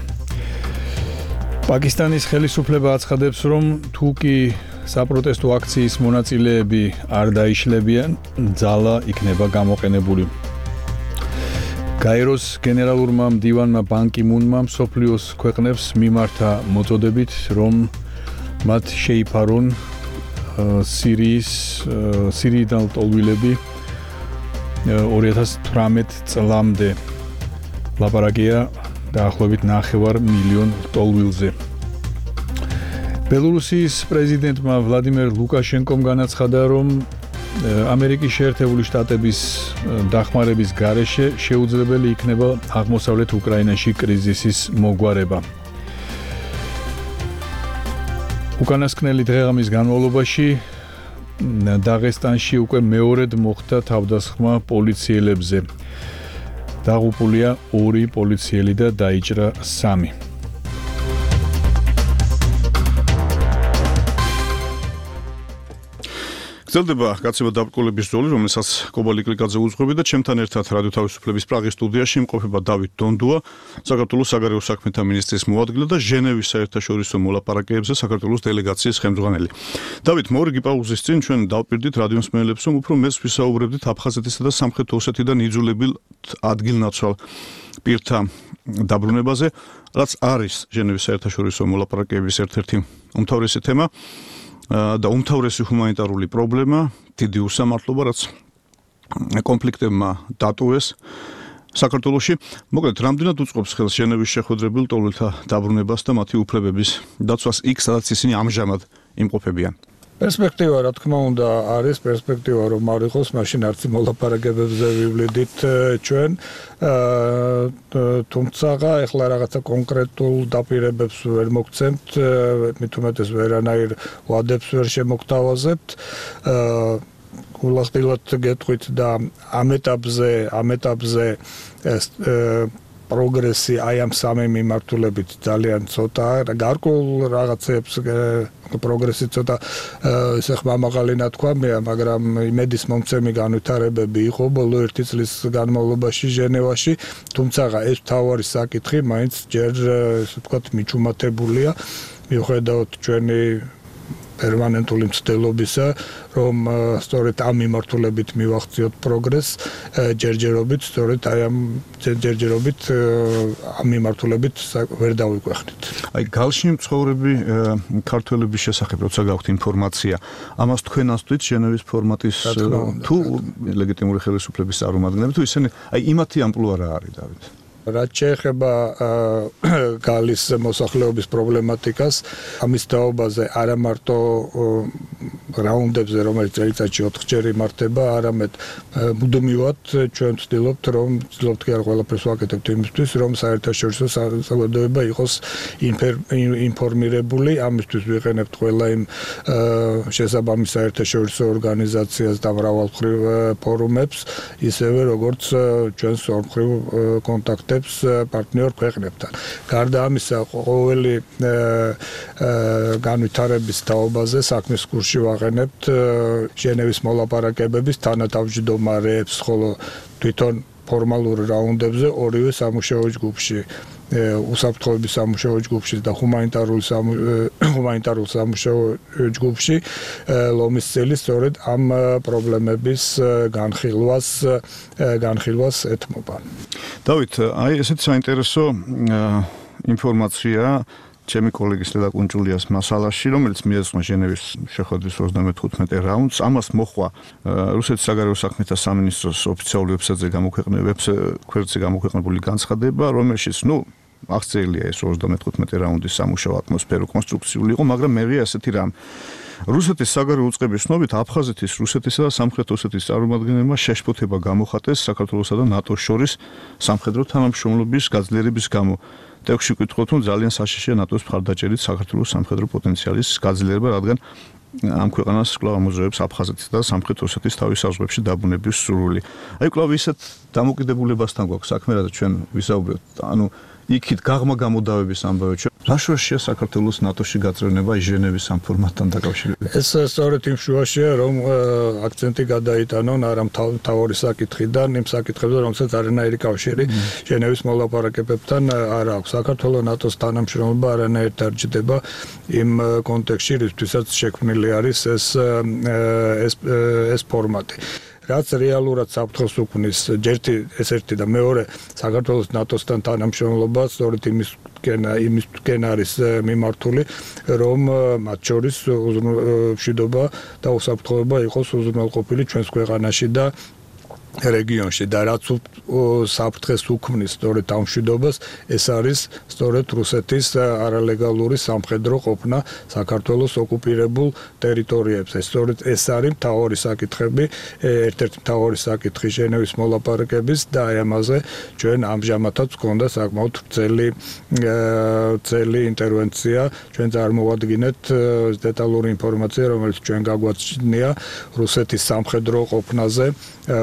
პაკისტანის ხელისუფლება აცხადებს, რომ თუ კი საპროტესტო აქციის მონაწილეები არ დაიშლებიან, ძალა იქნება გამოყენებული. გაეროს გენერალურმა მდივანმა ბან კი მუნმა მსოფლიოს ქვეყნებს მიმართა მოწოდებით, რომ მათ შეიფარონ სირიის სირიიდან ტოლვილები ორი ათას თვრამეტ წლამდე. ლაპარაკია დაახლოებით ნახევარ მილიონ ტოლვილზე. ბელორუსიის პრეზიდენტმა ვლადიმერ ლუკაშენკომ განაცხადა, რომ ამერიკის შეერთებული შტატების დახმარების გარეშე შეუძლებელი იქნება აღმოსავლეთ უკრაინაში კრიზისის მოგვარება. უკანასკნელი დღეღამის განმავლობაში დაღესტანში უკვე მეორედ მოხდა თავდასხმა პოლიციელებზე. დაღუპულია ორი პოლიციელი და დაიჭრა სამი. გრძელდება გაცემა დაბრკოლების ზოლი, რომელსაც კობალიკ ლიკაძე უძღვები და ჩემთან ერთად რადიო თავისუფლების პრაღის სტუდიაში იმყოფება დავით დონდუა, საქართველოს საგარეო საქმეთა მინისტრის მოადგილე და ჟენევის საერთაშორისო მოლაპარაკებებზე საქართველოს დელეგაციის ხელმძღვანელი. დავით, მორიგი პაუზის წინ ჩვენ დავპირდით რადიო მსმენელებს, რომ უფრო მეც ვისაუბრებდით აფხაზეთისა და სამხრეთ ოსეთიდან იძულებილ ადგილნაცვალ პირთა დაბრუნებაზე, რაც არის ჟენევის საერთაშორისო მოლაპარაკებების ერთ-ერთი უმთავრესი თემა. და უმთავრესი ჰუმანიტარული პრობლემა, დიდი უსამართლობა, რაც კონფლიქტებმა დატოვეს საქართველოში. მოკლედ, რამდენად უწყობს ხელს ჟენევის შეხვედრებულ ტოლვილთა დაბრუნებას და მათი უფლებების დაცვას იქ, სადაც ისინი ამჟამად იმყოფებიან? პერსპექტივა, რა თქმა უნდა, არის პერსპექტივა, რომ არ იყოს, მაშინ არც მოლაპარაკებებზე ვივლიდით ჩვენ. თუმცა, ეხლა რაღაცა კონკრეტულ დაპირებებს ვერ მოგცემთ, მით უმეტეს ვერანაირ ვადებს ვერ შემოგთავაზებთ. გულახდილად გეტყვით და ამ ეტაპზე, ამ ეტაპზე პროგრესი აი ამ სამი მიმართულებით ძალიან ცოტაა. გარკვეულ რაღაცებს პროგრესი ცოტა ესე ხმამაღალი ნათქვამია, მაგრამ იმედის მომცემი განვითარებები იყო ბოლო ერთი წლის განმავლობაში ჟენევაში, თუმცა ეს თავარი საკითხი მაინც ჯერ ესე ვთქვათ მიჩუმათებულია, მიუხედავად ჩვენი პერმანენტული მცდელობისა, რომ სწორედ ამ მიმართულებით მივახციოთ პროგრესს, ჯერჯერობით, სწორედ აი ამ ჯერჯერობით ამ მიმართულებით ვერ დავიკვეხნით. აი გალში მცხოვრები ქართველების შესახებ როცა გაქვთ ინფორმაცია, ამას თქვენ ასწვით ჟენევის ფორმატის თუ ლეგიტიმური ხელისუფლების წარმომადგენლები, თუ ისინი აი იმათი ამპლუა რა არის, დავით? რაც შეეხება გალის მოსახლეობის პრობლემატიკას, ამის თაობაზე არა მარტო რაუნდებზე, რომელიც წელიწადში ოთხჯერ იმართება, არამედ მუდმივად ჩვენ ვცდილობთ, რომ ვცდილობთ კი არ ყველაფერს ვაკეთებთ იმისთვის, რომ საერთაშორისო საზოგადოება იყოს ინფორმირებული, ამისთვის ვიყენებთ ყველა იმ შესაბამის საერთაშორისო ორგანიზაციას და მრავალმხრივ ფორუმებს, ისევე როგორც ჩვენს ორმხრივ კონტაქტებს პარტნიორ ქვეყნებთან. გარდა ამისა, ყოველი განვითარების თაობაზე საქმის კურსში ვაყენებთ ჟენევის მოლაპარაკებების თანათავმჯდომარეებს, ხოლო თვითონ ფორმალურ რაუნდებზე ორივე სამუშაო ჯგუფში, უსაფრთხოების სამუშაო ჯგუფში და ჰუმანიტარული ჰუმანიტარულ სამუშაო ჯგუფში ლომის წელი სწორედ ამ პრობლემების განხილვას განხილვას ეთმობა. დავით, აი ესეთ საინტერესო ინფორმაცია ჩემი კოლეგის ლელა კუნჭულიას მასალაში, რომელიც მიეძღვნა ჟენევის შეხვედრის ოცდამეთხუთმეტე რაუნდს, ამას მოხვა რუსეთის საგარეო საქმეთა სამინისტროს ოფიციალური ვებსაიტზე გამოქვეყნებული გამოქვეყნებული განცხადება, რომელშიც, ნუ აღწერილია ეს ოცდამეთხუთმეტე რაუნდის სამუშაო ატმოსფერო კონსტრუქციული იყო, მაგრამ მერია ასეთი რამ. რუსეთის საგარეო უწყების ცნობით აფხაზეთის, რუსეთისა და სამხრეთ ოსეთის წარმომადგენლებმა შეშფოთება გამოხატეს საქართველოსა და ნატოს შორის სამხედრო თანამშრომლობის გაძლიერების გამო. ტექსტში ვკითხავთ, რომ ძალიან საშიშია ნატოს მხარდაჭერით საქართველოს სამხედრო პოტენციალის გაძლიერება, რადგან ამ ქვეყანას კვლავ ამოძრავებს აფხაზეთის და სამხრეთ ოსეთის თავის საზღვრებში დაბრუნების სურვილი. აი კვლავ ისეთ დამოკიდებულებასთან გვაქვს საქმე, რაც ჩვენ ვისაუბრებთ. ანუ იქით გაღმა გამოდავების ამბავი. რა შუაშია საქართველოს ნატოში გაწევრიანება ჟენევის ამ ფორმატთან დაკავშირებით? ეს სწორედ იმ შუაშია, რომ აქცენტი გადაიტანონ არა მთავარი საკითხიდან, იმ საკითხებზე, რომელსაც არანაირი კავშირი ჟენევის მოლაპარაკებებთან არ აქვს. საქართველოს ნატოს თანამშრომლობა არანაირად არ ჯდება იმ კონტექსტში, რისთვისაც შექმნილი არის ეს ეს ეს ფორმატი. რაც რეალურად საფრთხეს უქმნის ერთი ეს ერთი და მეორე საქართველოს ნატოსთან თანამშრომლობა სწორედ იმის იმისკენ არის მიმართული, რომ მათ შორის მშვიდობა და უსაფრთხოება იყოს უზრუნველყოფილი ჩვენს ქვეყანაში და რეგიონში და რაც საფრთხეს უქმნის სწორედ ამ მშვიდობას, ეს არის სწორედ რუსეთის არალეგალური სამხედრო ყოფნა საქართველოს ოკუპირებულ ტერიტორიებზე. სწორედ ეს არის მთავარი საკითხები, ერთ-ერთი მთავარი საკითხი ჟენევის მოლაპარაკების და აი ამაზე ჩვენ ამჟამადაც გვქონდა საკმაოდ ვრცელი ვრცელი ინტერვენცია. ჩვენ წარმოვადგინეთ დეტალური ინფორმაცია, რომელიც ჩვენ გაგვაჩნია რუსეთის სამხედრო ყოფნაზე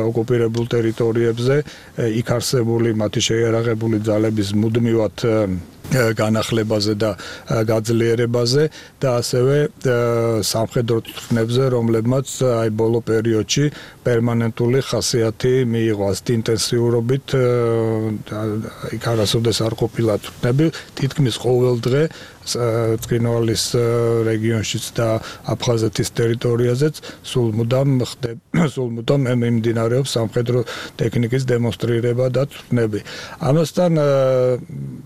ოკუპირებულ ტერიტორიებზე, იქ არსებული მათი შეიარაღებული ძალების მუდმივად განახლებაზე და გაძლიერებაზე და ასევე სამხედრო წვრთნებზე, რომლებმაც აი ბოლო პერიოდში პერმანენტული ხასიათი მიიღო ასეთი ინტენსიურობით, იქ არასოდეს არ ყოფილა წვრთნები, თითქმის ყოველ დღე ცხინვალის რეგიონშიც და აფხაზეთის ტერიტორიაზეც სულ მუდამ ხდება სულ მუდამ მიმდინარეობს სამხედრო ტექნიკის დემონსტრირება და წვრთნები. ამასთან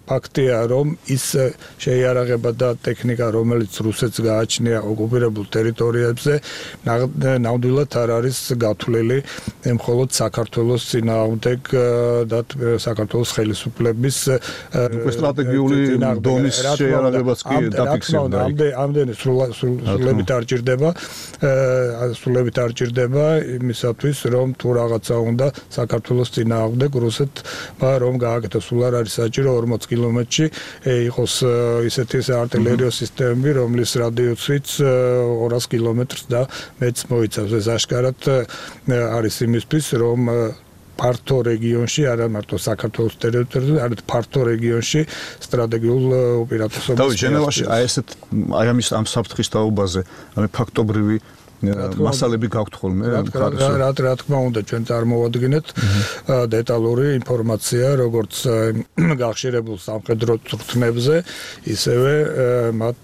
ფაქტია, რომ ის შეიარაღება და ტექნიკა, რომელიც რუსეთს გააჩნია ოკუპირებულ ტერიტორიებზე, ნამდვილად არ არის გათვლილი მხოლოდ საქართველოს წინააღმდეგ და საქართველოს ხელისუფლების სტრატეგიული დონის შეიარაღებაც კი დაფიქსირდა. ამდენი სრულებით არ ჭირდება, სრულებით არ ჭირდება იმისათვის, რომ თუ რაღაცა უნდა საქართველოს წინააღმდეგ რუსეთმა რომ გააკეთოს, სულ არ არის საჭირო ორმოც კილომეტრში იყოს ისეთი არტილერიო სისტემები, რომლის რადიუსიც ორას კილომეტრს და მეც მოიცავს. ეს აშკარად არის იმისთვის, რომ ფართო რეგიონში, არა მარტო საქართველოს ტერიტორიაზე, არამედ ფართო რეგიონში სტრატეგიულ უპირატესობას. და ჟენევაში აი ესეთ აი ამის ამ საფრთხის თაობაზე, ანუ ფაქტობრივი მასალები გაქვთ ხოლმე რა რა თქმა უნდა ჩვენ წარმოვადგინეთ დეტალური ინფორმაცია როგორც გახშირებულ სამხედრო წვრთნებზე, ისევე მათ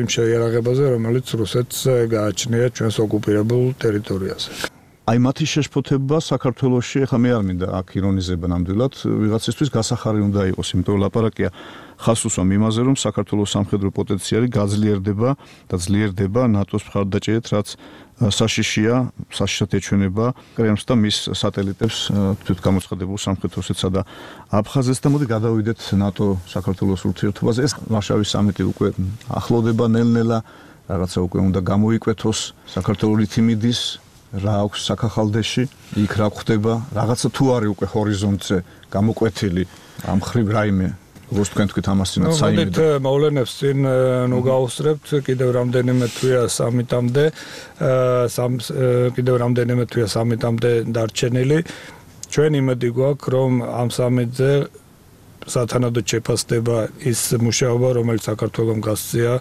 იმ შეიარაღებაზე, რომელიც რუსეთს გააჩნია ჩვენს ოკუპირებულ ტერიტორიაზე. აი მათი შეშფოთება საქართველოში ახლა მე არ მინდა აქ ირონიზება ნამდვილად ვიღაცისთვის გასახარი უნდა იყოს, იმიტომ ლაპარაკია ხას უსვამ იმაზე, რომ საქართველოს სამხედრო პოტენციალი გაძლიერდება და ძლიერდება ნატოს მხარდაჭერით, რაც საშიშია, საშიშად ეჩვენება კრემლს და მის სატელიტებს თვითგამოცხადებულ სამხედროსეთსა და აფხაზეთს და მოდი გადავიდეთ ნატო საქართველოს ურთიერთობაზე. ეს ვარშავის სამიტი უკვე ახლოვდება ნელ-ნელა, რაღაცა უკვე უნდა გამოიკვეთოს საქართველოს რითიმიდის რა აქვს საქახალდეში, იქ რა ხდება, რაღაცა თუ არის უკვე ჰორიზონტზე გამოკვეთილი ამ ხრივ რაიმე, როგორც თქვენ თქვით ამასინაც საიმე. მოდით მოვლენებს წინ ნუ გავუსწრებთ, კიდევ რამდენიმე თვეა სამიტამდე, კიდევ რამდენიმე თვეა სამიტამდე დარჩენილი. ჩვენ იმედი გვაქვს, რომ ამ სამიტზე სათანადოდ შეფასდება ის მუშაობა, რომელიც საქართველოს გასწია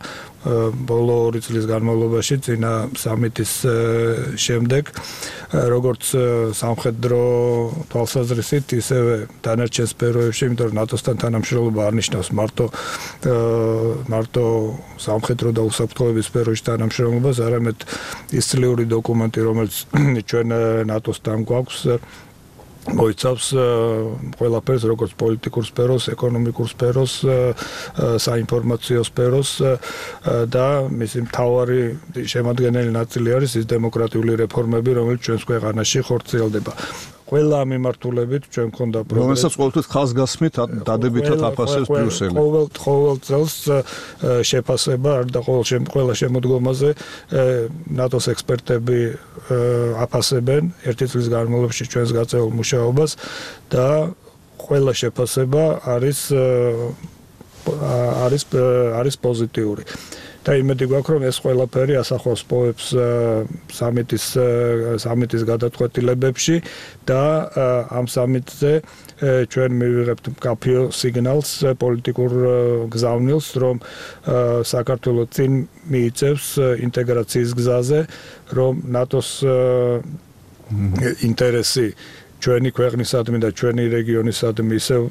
ბოლო ორი წლის განმავლობაში წინა სამიტის შემდეგ, როგორც სამხედრო თვალსაზრისით, ისევე დანარჩენ სფეროებში, იმიტომ რომ ნატოსთან თანამშრომლობა არ ნიშნავს მარტო მარტო სამხედრო და უსაფრთხოების სფეროში თანამშრომლობას, არამედ ის წლიური დოკუმენტი, რომელიც ჩვენ ნატოსთან გვაქვს, მოიცავს ყველაფერს, როგორც პოლიტიკურ სფეროს, ეკონომიკურ სფეროს, საინფორმაციო სფეროს და მისი მთავარი შემადგენელი ნაწილი არის ის დემოკრატიული რეფორმები, რომელიც ჩვენს ქვეყანაში ხორციელდება. ყველა მიმართულებით ჩვენ გქონდა პროგრესი, რომელსაც ყოველთვის ხაზგასმით დადებითად აფასებს ბრიუსელი. ყოველ ყოველ წელს შეფასება არ და ყოველ ყველა შემოდგომაზე ნატოს ექსპერტები აფასებენ ერთი წლის განმავლობაში ჩვენს გაწეულ მუშაობას და ყველა შეფასება არის არის არის პოზიტიური. და იმედი გვაქვს რომ ეს ყველაფერი ასახავს პოებს სამიტის სამიტის გადაწყვეტილებებში და ამ სამიტზე ჩვენ მივიღებთ მკაფიო სიგნალს პოლიტიკურ გზავნილს რომ საქართველოს წინ მიიწევს ინტეგრაციის გზაზე რომ ნატოს ინტერესი ჩვენი ქვეყნისადმი და ჩვენი რეგიონისადმი ისევ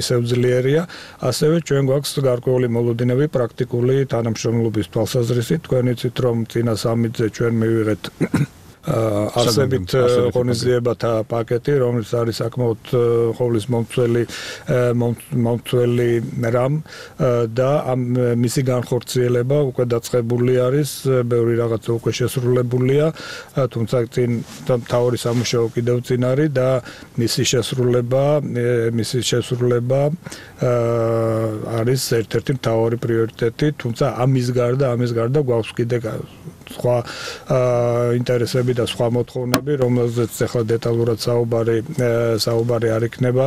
ისევ ძლიერია, ასევე ჩვენ გვაქვს გარკვეული მოლოდინები პრაქტიკული თანამშრომლობის თვალსაზრისით. თქვენ იცით რომ წინა სამიტზე ჩვენ მივიღეთ არსებით ღონისძიებათა პაკეტი, რომელიც არის საკმაოდ ყოვლის მომცველი მომცველი რამ და ამ მისი განხორციელება უკვე დაწყებული არის, ბევრი რაღაცა უკვე შესრულებულია, თუმცა წინ მთავარი სამუშაო კიდევ წინ არის და მისი შესრულება, მისი შესრულება არის ერთ-ერთი მთავარი პრიორიტეტი, თუმცა ამის გარდა, ამის გარდა გვაქვს კიდე სხვა ინტერესები და სხვა მოთხოვნები, რომელზეც ახლა დეტალურად საუბარი საუბარი არ იქნება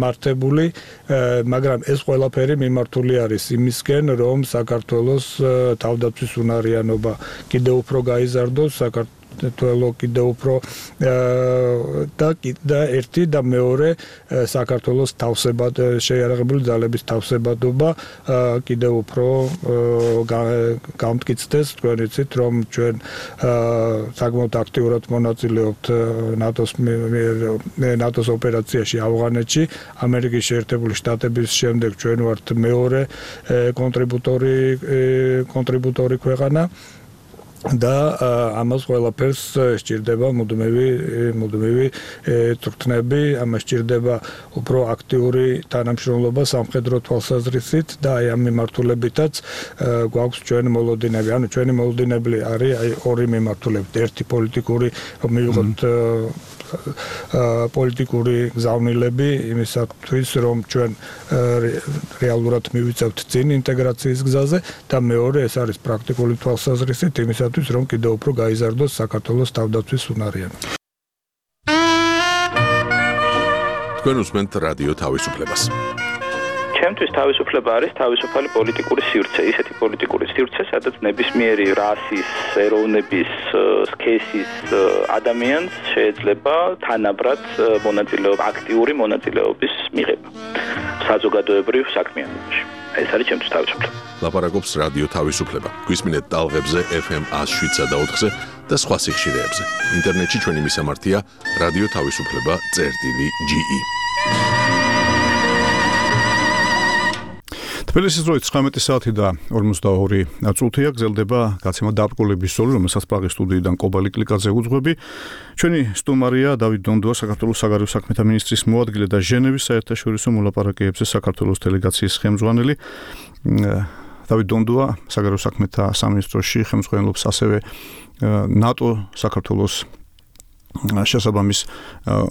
მართებული, მაგრამ ეს ყველაფერი მიმართული არის იმისკენ, რომ საქართველოს თავდაცვის უნარიანობა კიდევ უფრო გაიზარდოს, საქართველოს თველო კიდევ უფრო და და ერთი და მეორე საქართველოს თავსებად შეიარაღებული ძალების თავსებადობა კიდევ უფრო გამტკიცდეს. თქვენ იცით რომ ჩვენ საკმაოდ აქტიურად მონაწილეობთ ნატოს ნატოს ოპერაციაში ავღანეთში, ამერიკის შეერთებული შტატების შემდეგ ჩვენ ვართ მეორე კონტრიბუტორი კონტრიბუტორი ქვეყანა და ამას ყველაფერს სჭირდება მუდმივი მუდმივი წვრთნები, ამას სჭირდება უფრო აქტიური თანამშრომლობა სამხედრო თვალსაზრისით და აი ამ მიმართულებითაც გვაქვს ჩვენ მოლოდინები. ანუ ჩვენი მოლოდინები არის აი ორი მიმართულებით, ერთი პოლიტიკური მივიღოთ პოლიტიკური გზავნილები იმისათვის რომ ჩვენ რეალურად მივიწევთ წინ ინტეგრაციის გზაზე და მეორე ეს არის პრაქტიკული თვალსაზრისით იმისათვის რომ კიდევ უფრო გაიზარდოს საქართველოს თავდაცვის უნარიანობა. თქვენ უსმენთ რადიო თავისუფლებას. ჩემთვის თავისუფლება არის თავისუფალი პოლიტიკური სივრცე, ისეთი პოლიტიკური სივრცე, სადაც ნებისმიერი რასის, ეროვნების, სქესის ადამიანს შეიძლება თანაბრად მონაწილეობა, აქტიური მონაწილეობის მიღება საზოგადოებრივ საქმიანობაში. ეს არის ჩემთვის თავისუფლება. ლაპარაკობს რადიო თავისუფლება. გვისმინეთ ტალღებზე ეფ ემ one oh seven point four-ზე და სხვა სიხშირეებზე. ინტერნეტში ჩვენი მისამართია რადიო თავისუფლება წერტილი ჯი ი. თბილისის დროით ცხრამეტი საათი და ორმოცდაორი წუთია გრძელდება გაცემა დაბრკოლების ზოლი, რომელსაც პრაღის სტუდიიდან კობალი კლიკაძე უძღვები. ჩვენი სტუმარია დავით დონდუა, საქართველოს საგარეო საქმეთა მინისტრის მოადგილე და ჟენევის საერთაშორისო მოლაპარაკებებზე საქართველოს დელეგაციის ხელმძღვანელი. დავით დონდუა საგარეო საქმეთა სამინისტროში ხელმძღვანელობს ასევე ნატო საქართველოს შესაბამის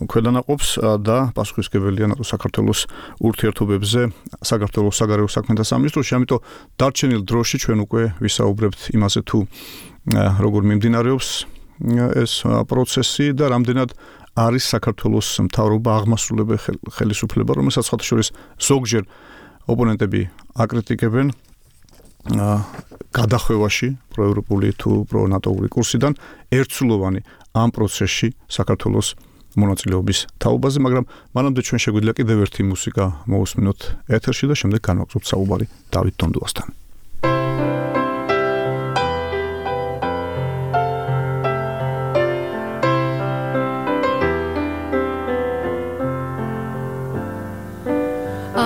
ქვედანაყოფს და პასუხისმგებელია ნატო საქართველოს ურთიერთობებზე საქართველოს საგარეო საქმეთა სამინისტროში. ამიტომ დარჩენილ დროში ჩვენ უკვე ვისაუბრებთ იმაზე თუ როგორ მიმდინარეობს ეს პროცესი და რამდენად არის საქართველოს მთავრობა აღმასრულებელი ხელისუფლება, რომელსაც სხვათა შორის ზოგჯერ ოპონენტები აკრიტიკებენ გადახვევაში პროევროპული თუ პრონატოული კურსიდან ერთსულოვანი ამ პროცესში საქართველოს მონაწილეობის თაობაზე, მაგრამ მანამდე ჩვენ შეგვიძლია კიდევ ერთი მუსიკა მოусმინოთ ეთერში და შემდეგ განვაგრძობთ საუბარი დავით დონდუასთან. I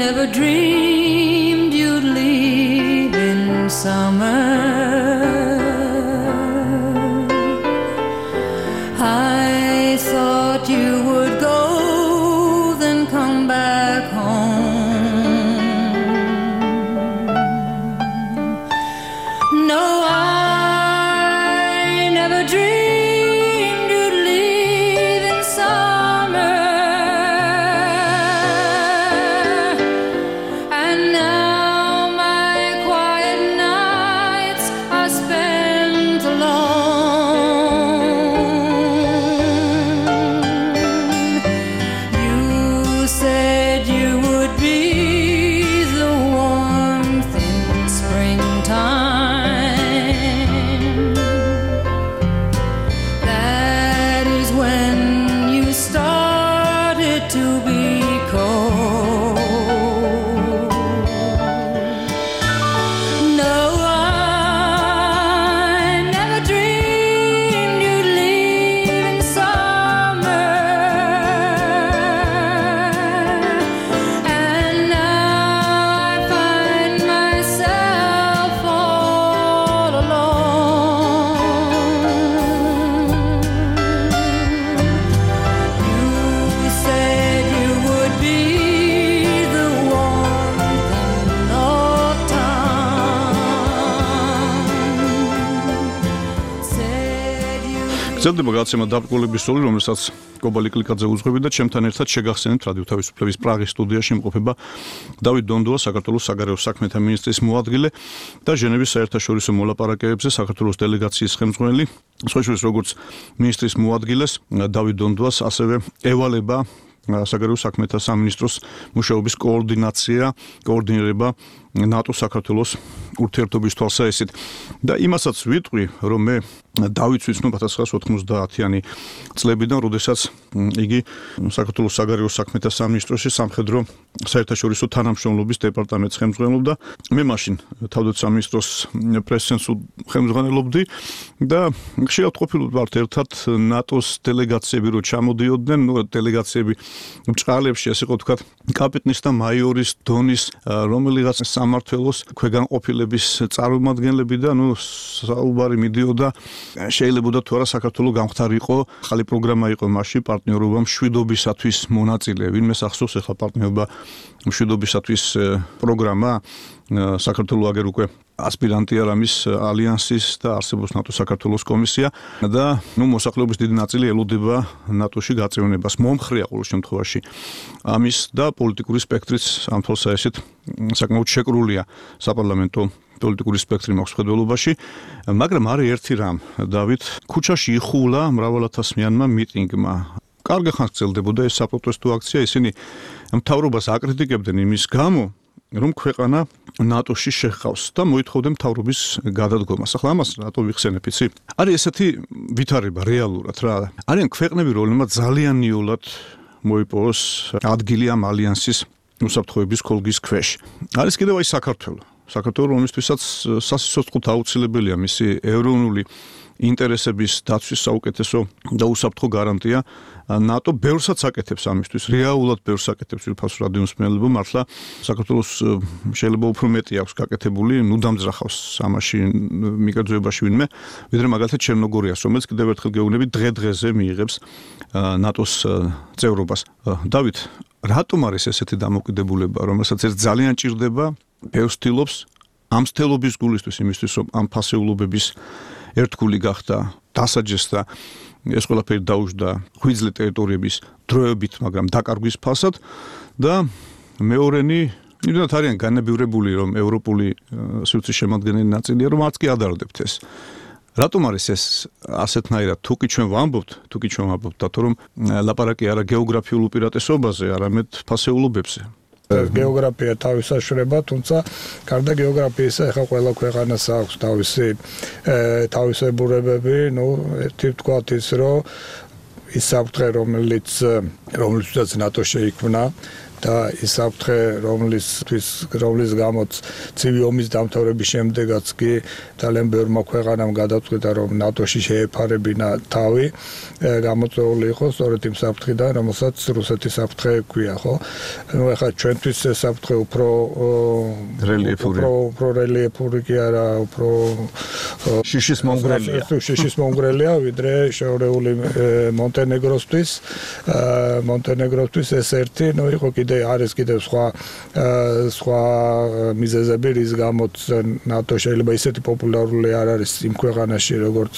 never dreamed you'd leave in summer. I thought you would go, then come back home. გრძელდება გადაცემა დაბრკოლების სული, რომელსაც კობალი კლიკაძე უძღვები და ჩემთან ერთად შეგახსენებთ რადიო თავისუფლების პრაღის სტუდიაში იმყოფება დავით დონდოა, საქართველოს საგარეო საქმეთა მინისტრის მოადგილე და ჟენევის საერთაშორისო მოლაპარაკებებზე საქართველოს დელეგაციის ხელმძღვანელი. სხვაშორის როგორც მინისტრის მოადგილეს დავით დონდოას ასევე ევალება საგარეო საქმეთა სამინისტროს მუშაობის координация, координირება ნატო საქართველოს ურთიერთობის თვალსაჩინოდ და იმასაც ვიტყვი, რომ მე დავით ვიცნობ ათას ცხრაასი ოთხმოცდაათიანი წლებიდან, როდესაც იგი საქართველოს საგარეო საქმეთა სამინისტროში სამხედრო საერთაშორისო თანამშრომლობის დეპარტამენტს ხელმძღვანელობდა. მე მაშინ თავდაცვის სამინისტროს პრეს-ცენტრს ხელმძღვანელობდი და ხშირად ყოფილობთ ვართ ერთად ნატოს დელეგაციები რო ჩამოდიოდნენ, ნუ დელეგაციები ბჭყალებში, ასე ხო ვთქვათ, კაპიტნის და მაიორის დონის რომელიღაც სამართველოს ქვეგანყოფილების წარმომადგენლები და ნუ საუბარი მიდიოდა შეიძლება თუ არა საქართველოს გამختارიყო ხალი პროგრამა იყო მასში პარტნიორობა მშვიდობისათვის მონაწილე ვინმე სახსოვს ახლა პარტნიორობა მშვიდობისათვის პროგრამა საქართველოს აგერ უკვე ასპირანტი არ ამის ალიანსის და არსებობს ნატო საქართველოს კომისია და ნუ მოსახლეობის დიდი ნაწილი ელოდება ნატოში გაწევნებას მომხრეა ყოველ შემთხვევაში ამის და პოლიტიკური სპექტრიც ამ თვალსაჩინოდ საკმაოდ შეკრულია საპარლამენტო პოლიტიკური სპექტრი მაქვს ხედველობაში, მაგრამ არის ერთი რამ, დავით, ქუჩაში იხულა მრავალათასმიანმა მიტინგმა. კარგი ხანს გრძელდებოდა ეს საპროტესტო აქცია, ისინი მთავრობას აკრიტიკებდნენ იმის გამო, რომ ქვეყანა ნატოში შეჰყავს და მოითხოვდნენ მთავრობის გადადგომას. ახლა ამას რატო ვიხსენებ, იცი? არის ესეთი ვითარება რეალურად რა. არიან ქვეყნები, რომლებმაც ძალიან ნიულად მოიპოვოს ადგილი ამ ალიანსის უსაფრთხოების ქოლგის ქვეშ. არის კიდევ აი საქართველო. საქართველოს რომლისთვისაც სასიცოცხლოდ აუცილებელია მისი ეროვნული ინტერესების დაცვის საუკეთესო და უსაფრთხო გარანტია. ნატო ბევრსაც აკეთებს ამისთვის, რეალურად ბევრს აკეთებს ვირფას რადიომსმენელებო, მართლა საქართველოს შეიძლება უფრო მეტი აქვს გაკეთებული, ნუ დამძრახავს ამაში მიკერძოებაში ვინმე, ვიდრე მაგალითად ჩერნოგორიას, რომელიც კიდევ ერთხელ გეუბნები დღე-დღეზე მიიღებს ნატოს წევრობას. დავით, რატომ არის ესეთი დამოკიდებულება, რომელსაც ერთ ძალიან ჭირდება ბევრს ცდილობს ამ სტელობის გულისთვის იმისთვის რომ ამ ფასეულობების ერთგული გახდა დასაჯესდა ეს ყველაფერი დაუშვდა ღვიძლი ტერიტორიების დროებით, მაგრამ დაკარგვის ფასად და მეორენი იმდენად არიან განებივრებული რომ ევროპული სივრცის შემადგენელი ნაწილია რომ არც კი ადარდებთ ეს. რატომ არის ეს ასეთნაირად თუკი ჩვენ ვამბობთ, თუკი ჩვენ ვამბობთ და თუ რომ ლაპარაკი არა გეოგრაფიულ უპირატესობაზე, არამედ ფასეულობებზე. გეოგრაფია თავისაშრება, თუმცა გარდა გეოგრაფიისა ახლა ყველა ქვეყანას აქვს თავისი თავისებურებები, ну, ერთი ვთქვათ ის, რომ ის საფრთხე, რომელიც რომელიცაც ნატო შეიქმნა და ის საფრთხე, რომლისთვის რომლის გამოც ცივი ომის დამთავრების შემდეგაც კი ძალიან ბევრმა ქვეყანამ გადაწყვიტა, რომ ნატოში შეეფარებინა თავი, გამოწვეული იყო სწორედ იმ საფრთხიდან, რომელსაც რუსეთის საფრთხე ქვია, ხო? ნუ ახლა ჩვენთვის ეს საფრთხე უფრო რელიეფური, უფრო რელიეფური კი არა, უფრო შიშის მომგრელია. შიშის მომგრელია, ვიდრე შეურეული მონტენეგროსთვის, მონტენეგროსთვის ეს ერთი, ნუ იყო კიდე არის კიდევ სხვა სხვა მიზეზები, რის გამოც ნატო შეიძლება ისეთი პოპულარული არ არის იმ ქვეყანაში, როგორც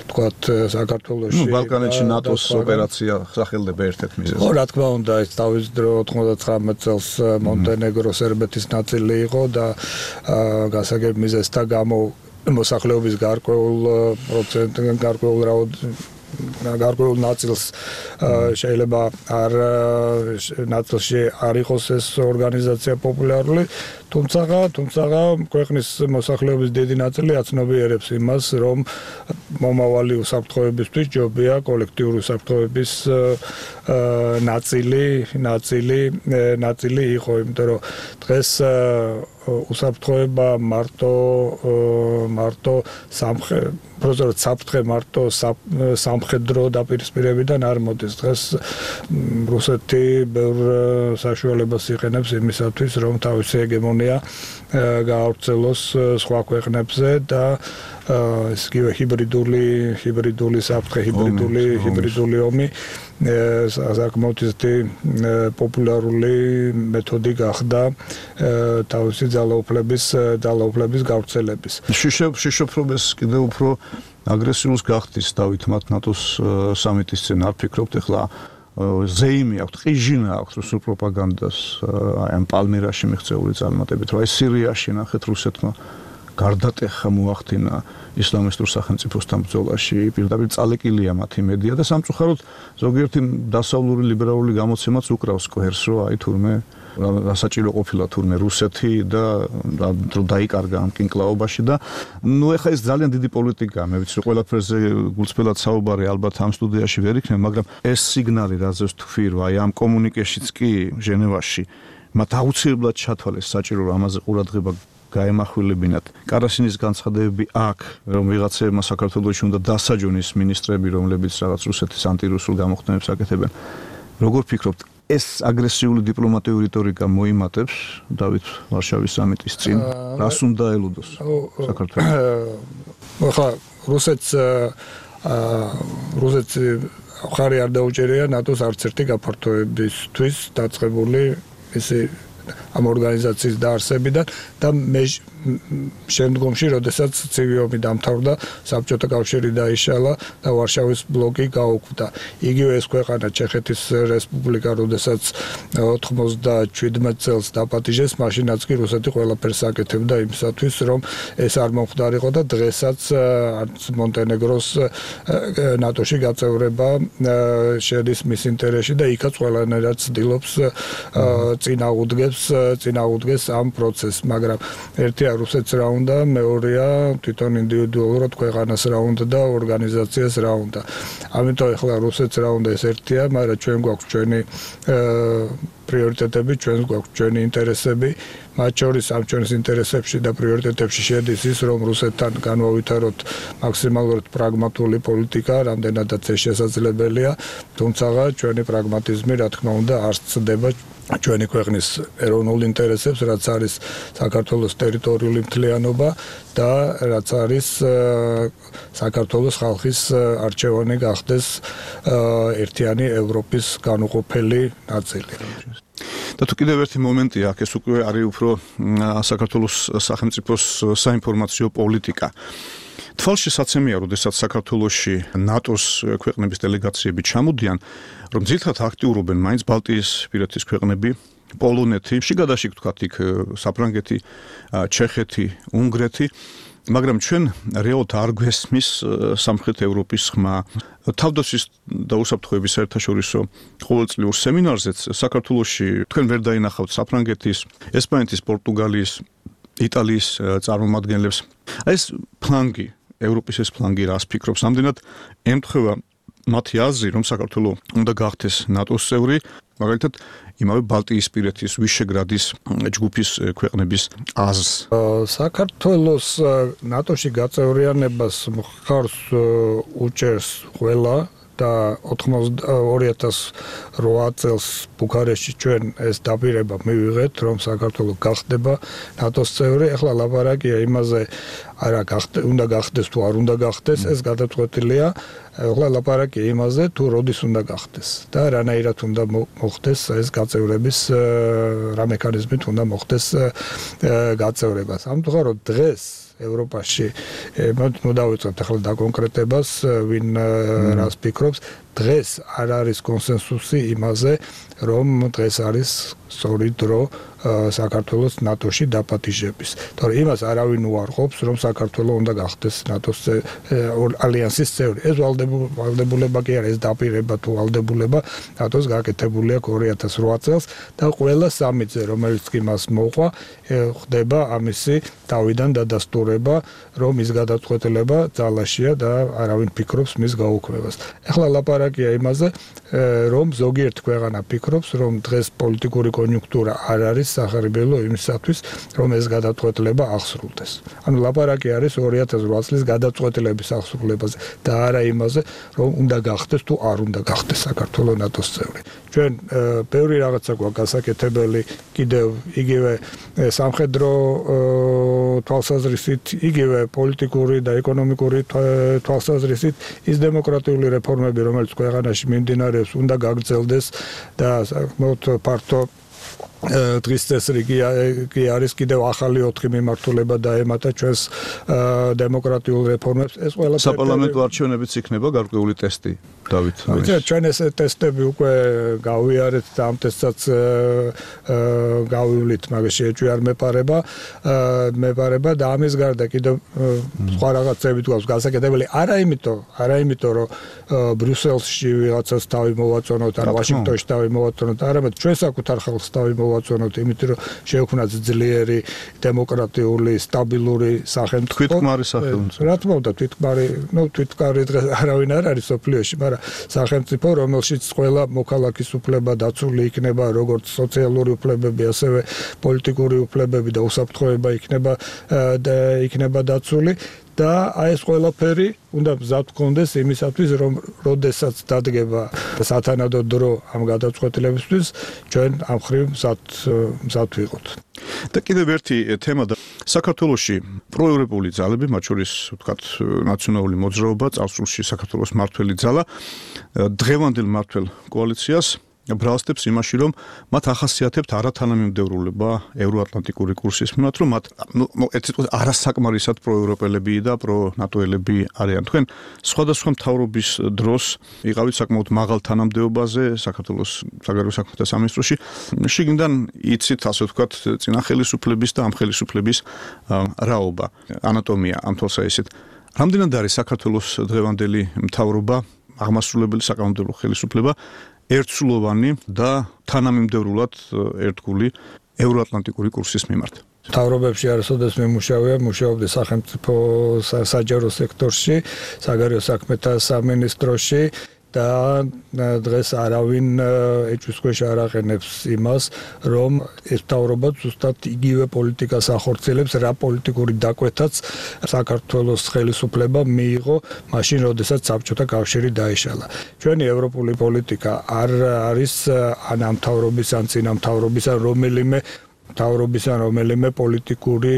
თქვათ საქართველოში. ნუ ბალკანეთში ნატოს ოპერაცია სახელდება ერთ-ერთ მიზეზად. ხო, რა თქმა უნდა, ეს თავის დრო ოთხმოცდათხრამეტ წელს მონტენეგრო სერბეთის ნაწილი იყო და გასაგებ მიზეზთა გამო მოსახლეობის გარკვეულ პროცენტიდან გარკვეულ რაოდენობით გარკვეულ ნაწილს შეიძლება არ ნაწილში არ იყოს ეს ორგანიზაცია პოპულარული, თუმცა თუმცა ქვეყნის მოსახლეობის დიდი ნაწილი აცნობიერებს იმას, რომ მომავალი უსაფრთხოებისთვის ჯობია კოლექტიური უსაფრთხოების ნაწილი, ნაწილი, ნაწილი იყო, იმიტომ რომ დღეს უსაფრთხოება მარტო მარტო სამხედრო პროზორ საფრთხე მარტო სამხედრო დაპირისპირებიდან არ მოდის. დღეს რუსეთი ბევრ საშუალებას იყენებს იმისათვის, რომ თავისი ჰეგემონია გაავრცელოს სხვა ქვეყნებზე და ეს კი ჰიბრიდული ჰიბრიდული საფრთხე, ჰიბრიდული ჰიბრიდული ომი საკმაოდ პოპულარული მეთოდი გახდა თავისი ძალაუფლების ძალაუფლების გავრცელების. შიშობრობას კიდევ უფრო აგრესიულს გახდის დავით მათ ნატოს სამიტის წინ არ ფიქრობთ ახლა ზეიმი აქვს, ყიჟინა აქვს რუსულ პროპაგანდას ამ პალმირაში მიღწეული წარმატებით, რომ აი სირიაში ნახეთ რუსეთმა გარდატეხა მოახდინა ისლამისტურ სახელმწიფოსთან ბრძოლაში, პირდაპირ წალეკილია მათი მედია და სამწუხაროდ ზოგიერთი დასავლური ლიბერალური გამოცემაც უკრავს კვერს, რომ აი თურმე სასაჭირო ყოფილა თურმე რუსეთი და რომ დაიკარგა ამ კინკლაობაში და ნუ ეხა ეს ძალიან დიდი პოლიტიკაა, მე ვიცი ყველაფერზე გულწრფელად საუბარი ალბათ ამ სტუდიაში ვერ იქნება, მაგრამ ეს სიგნალი რაზეც თქვი, რომ აი ამ კომუნიკეშიც კი ჟენევაში მათ აუცილებლად ჩათვალეს საჭირო რომ ამაზე ყურადღება გაემახვილებინათ. კარასინის განცხადებები აქ, რომ ვიღაცებმა საქართველოში უნდა დასაჯონ ის მინისტრები, რომლებიც რაღაც რუსეთის ანტირუსულ გამოხდენებს აკეთებენ. როგორ ფიქრობთ, ეს აგრესიული დიპლომატიური რიტორიკა მოიმატებს დავით ვარშავის სამიტის წინ? რას უნდა ელუდოს საქართველოს? ხა რუსეთს რუსეთს ხარი არ დაუჭერია ნატოს არც ერთი გაფართოებისთვის დაწყებული ისი ამ ორგანიზაციის დაარსებიდან და მე შემდგომში, როდესაც ცივი ომი დამთავრდა, საბჭოთა კავშირი დაიშალა და ვარშავის ბლოკი გაუქმდა. იგივე ეს ქვეყანა ჩეხეთის რესპუბლიკა, როდესაც ოთხმოცდაშვიდ წელს დაპატიჟეს, მაშინაც კი რუსეთი ყველაფერს აკეთებდა იმისათვის, რომ ეს არ მომხდარიყო და დღესაც არც მონტენეგროს ნატოში გაწევრება შედის მის ინტერესში და იქაც ყველანაირად ცდილობს წინააღმდეგებს წინააღმდეგეს ამ პროცესს, მაგრამ ერთია რუსეთს რა უნდა, მეორეა თვითონ ინდივიდუალურად ქვეყანას რა უნდა და ორგანიზაციას რა უნდა. ამიტომ ახლა რუსეთს რა უნდა ეს ერთია, მაგრამ ჩვენ გვაქვს ჩვენი პრიორიტეტები, ჩვენ გვაქვს ჩვენი ინტერესები, მათ შორის ამ ჩვენს ინტერესებში და პრიორიტეტებში შედის ის, რომ რუსეთთან განვავითაროთ მაქსიმალურად პრაგმატული პოლიტიკა, რამდენადაც ეს შესაძლებელია, თუმცა ჩვენი პრაგმატიზმი, რა თქმა უნდა, არ ცდება ჩვენი ქვეყნის ეროვნულ ინტერესებს, რაც არის საქართველოს ტერიტორიული მთლიანობა და რაც არის საქართველოს ხალხის არჩევანი გახდეს ერთიანი ევროპის განუყოფელი ნაწილი. და თუ კიდევ ერთი მომენტია, აქ ეს უკვე არის უფრო საქართველოს სახელმწიფოს საინფორმაციო პოლიტიკა. თვალში საცემია, როდესაც საქართველოში ნატოს ქვეყნების დელეგაციები ჩამოდიან, რომ ძირითადად აქტიურობენ მაინც ბალტიის პირეთის ქვეყნები, პოლონეთი, შიგადაშიგ თქვათ იქ საფრანგეთი, ჩეხეთი, უნგრეთი, მაგრამ ჩვენ რეალურად არ გვესმის სამხრეთ ევროპის ხმა. თავდაცვის და უსაფრთხოების საერთაშორისო ყოველწლიურ სემინარზეც საქართველოში თქვენ ვერ დაინახავთ საფრანგეთის, ესპანეთის, პორტუგალიის, იტალიის წარმომადგენლებს. აი ეს ფლანგი, ევროპის ეს ფლანგი რას ფიქრობს? ამდენად ემთხვევა მათი აზრი, რომ საქართველო უნდა გახდეს ნატოს წევრი, მაგალითად იმავე ბალტიისპირეთის, ვიშეგრადის ჯგუფის ქვეყნების აზრს. საქართველოს ნატოში გაწევრიანებას მხარს უჭერს ყველა და ორი ათას რვა წელს ბუქარესტში ჩვენ ეს დაპირება მივიღეთ, რომ საქართველო გახდება ნატოს წევრი. ახლა ლაპარაკია იმაზე, არა უნდა გახდეს თუ არ უნდა გახდეს, ეს გადაწყვეტილია. ახლა ლაპარაკია იმაზე, თუ როდის უნდა გახდეს და რანაირად უნდა მოხდეს ეს გაწევრების რა მექანიზმით უნდა მოხდეს გაწევრება. სამწუხაროდ დღეს ევროპაში მოდავიწყებთ ახლა დაკონკრეტებას, ვინ რას ფიქრობს. დღეს არ არის კონსენსუსი იმაზე, რომ დღეს არის სწორი დრო საქართველოს ნატოში დაპატიჟების. თორე იმას არავინ უარყოფს, რომ საქართველო უნდა გახდეს ნატოს ალიანსის წევრი. ეს ვალდებულება კი არა, ეს დაპირება თუ ვალდებულება ნატოს გაკეთებული აქვს ორი ათას რვა წელს და ყველა სამიტზე, რომელიც კი მას მოყვა, ხდება ამისი თავიდან დადასტურება, რომ ის გადაწყვეტილება ძალაშია და არავინ ფიქრობს მის გაუქმებას. ახლა ლაპარაკია იმაზე, რომ ზოგიერთ ქვეყანა ფიქრობს, რომ დღეს პოლიტიკური კონიუნქტურა არ არის სახარებელო იმისათვის, რომ ეს გადაწყვეტილება აღსრულდეს. ანუ ლაპარაკი არის ორი ათას რვა წლის გადაწყვეტილების აღსრულებაზე და არა იმაზე, რომ უნდა გახდეს თუ არ უნდა გახდეს საქართველოს ნატოს წევრი. ჩვენ ბევრი რაღაცა გვაქვს გასაკეთებელი, კიდევ იგივე სამხედრო თვალსაზრისით, იგივე პოლიტიკური და ეკონომიკური თვალსაზრისით, ის დემოკრატიული რეფორმები, რომელიც ქვეყანაში მიმდინარეობს, უნდა გაგრძელდეს და საკმაოდ ფართო დღის წესრიგი კი არის კიდევ ახალი ოთხი მიმართულება დაემატა ჩვენს დემოკრატიულ რეფორმებს. ეს ყველაფერი საპარლამენტო არჩევნებიც იქნება გარკვეული ტესტი, დავით. ჩვენ ეს ტესტები უკვე გავიარეთ და ამ ტესტსაც გავივლით, მაგრამ შეჭვი არ მეპარება, მეპარება და ამის გარდა კიდევ სხვა რაღაცები გვაქვს გასაკეთებელი. არა იმიტომ, არა იმიტომ, რომ ბრიუსელში ვიღაცას თავი მოვაწონოთ, ან ვაშინგტონში თავი მოვაწონოთ, არამედ ჩვენ საკუთარ ხალხს თავი მოვაწონოთ, იმიტომ რომ შევქმნათ ძლიერი, დემოკრატიული, სტაბილური სახელმწიფო. თვითმკმარი სახელმწიფო. რა თქმა უნდა, თვითმკმარი, ნუ თვითმკმარი დღეს არავინ არ არის სოფლიოში, მაგრამ სახელმწიფო, რომელშიც ყველა მოქალაქის უფლება დაცული იქნება, როგორც სოციალური უფლებები, ასევე პოლიტიკური უფლებები და უსაფრთხოება იქნება და იქნება დაცული. და აი ეს ყველაფერი უნდა მზად გქონდეს იმისათვის, რომ როდესაც დადგება სათანადო დრო ამ გადაწყვეტილებისთვის, ჩვენ ამ ხრივ მზად მზად ვიყოთ. და კიდევ ერთი თემა და საქართველოში პროევროპული ძალები, მათ შორის ვთქვათ, ნაციონალური მოძრაობა, წარსულში საქართველოს მმართველი ძალა, დღევანდელ მმართველ კოალიციას ბრალსდებს იმაში, რომ მათ ახასიათებთ არათანამიმდევრულება ევროატლანტიკური კურსის მიმართ, რომ მათ ნუ ერთ სიტყვით არასაკმარისად პროევროპელები და პრონატოელები არიან. თქვენ სხვადასხვა მთავრობის დროს იყავით საკმაოდ მაღალ თანამდებობაზე საქართველოს საგარეო საქმეთა სამინისტროში. შიგნიდან იცით, ასე ვთქვათ, წინა ხელისუფლების და ამ ხელისუფლების რაობა, ანატომია ამ თვალსაჩინო. რამდენად არის საქართველოს დღევანდელი მთავრობა, აღმასრულებელი საკანონმდებლო ხელისუფლება ერთსულოვანი და თანამიმდევრულად ერთგული ევროატლანტიკური კურსის მიმართ. მთავრობებში არასოდეს მიმუშავია, მუშაობდა სახელმწიფო საჯარო სექტორში, საგარეო საქმეთა სამინისტროში და დღეს არავინ ეჭვის ქვეშ არ აყენებს იმას, რომ ეს მთავრობა ზუსტად იგივე პოლიტიკას ახორციელებს, რა პოლიტიკური დაკვეთაც საქართველოს ხელისუფლება მიიღო მაშინ, როდესაც საბჭოთა კავშირი დაიშალა. ჩვენი ევროპული პოლიტიკა არ არის ან ამ მთავრობის ან წინა მთავრობის ან რომელიმე მთავრობის ან რომელიმე პოლიტიკური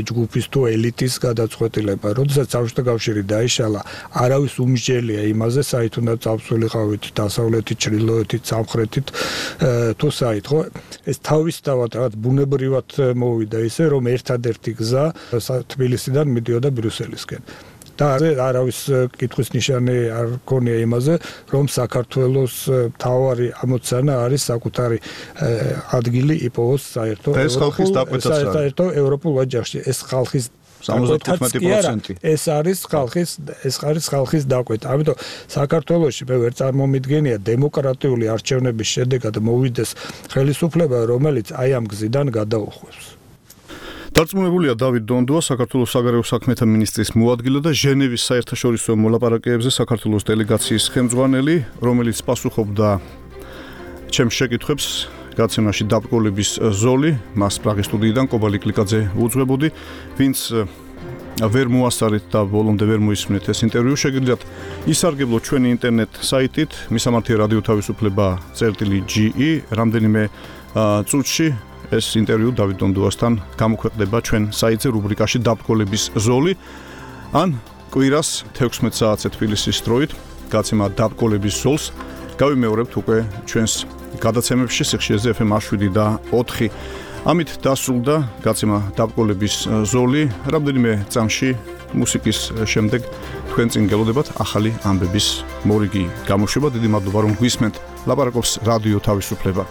ჯგუფის თუ ელიტის გადაწყვეტილება. როდესაც საბჭოთა კავშირი დაიშალა, არავის უმსჯელია იმაზე, საით უნდა წავსულიყავით დასავლეთით, ჩრდილოეთით, სამხრეთით თუ საით, ხო? ეს თავისთავად რაღაც ბუნებრივად მოვიდა ისე, რომ ერთადერთი გზა თბილისიდან მიდიოდა ბრიუსელისკენ. და არავის კითხვის ნიშანი არ ქონია იმაზე, რომ საქართველოს მთავარი ამოცანა არის საკუთარი ადგილი იპოვოს საერთო საერთო ევროპულ ოჯახში. ეს ხალხის სამოცდათხუთმეტი პროცენტი. ეს არის ხალხის ეს არის ხალხის დაკვეთა. ამიტომ საქართველოში მე ვერ წარმომიდგენია დემოკრატიული არჩევნების შედეგად მოვიდეს ხელისუფლება, რომელიც აი ამ გზიდან გადაუხვევს. დარწმუნებულია დავით დონდოა, საქართველოს საგარეო საქმეთა მინისტრის მოადგილე და ჟენევის საერთაშორისო მოლაპარაკებებზე საქართველოს დელეგაციის ხელმძღვანელი, რომელიც პასუხობდა ჩემს შეკითხვებს გაცემაში დაბრკოლების ზოლი, მას პრაღის სტუდიიდან კობალი კლიკაძე უძღვებოდი, ვინც ვერ მოასწარეთ და ბოლომდე ვერ მოისმენთ ეს ინტერვიუ, შეგიძლიათ ისარგებლოთ ჩვენი ინტერნეტ საიტით მისამართი რადიო თავისუფლება წერტილი ჯი ი, რამდენიმე წუთში ეს ინტერვიუ დავით დონდოასთან გამოქვეყნდება ჩვენ საიტზე რუბრიკაში დაბრკოლების ზოლი, ან კვირას თექვსმეტ საათზე თბილისის დროით გაცემა დაბრკოლების ზოლს გავიმეორებთ უკვე ჩვენს გადაცემებში სიხშირეზე ეფ ემ შვიდი და ოთხი. ამით დასრულდა გაცემა დაბრკოლების ზოლი. რამდენიმე წამში მუსიკის შემდეგ თქვენ წინ გელოდებათ ახალი ამბების მორიგი გამოშვება. დიდი მადლობა რომ გვისმენთ. ლაპარაკობს რადიო თავისუფლება.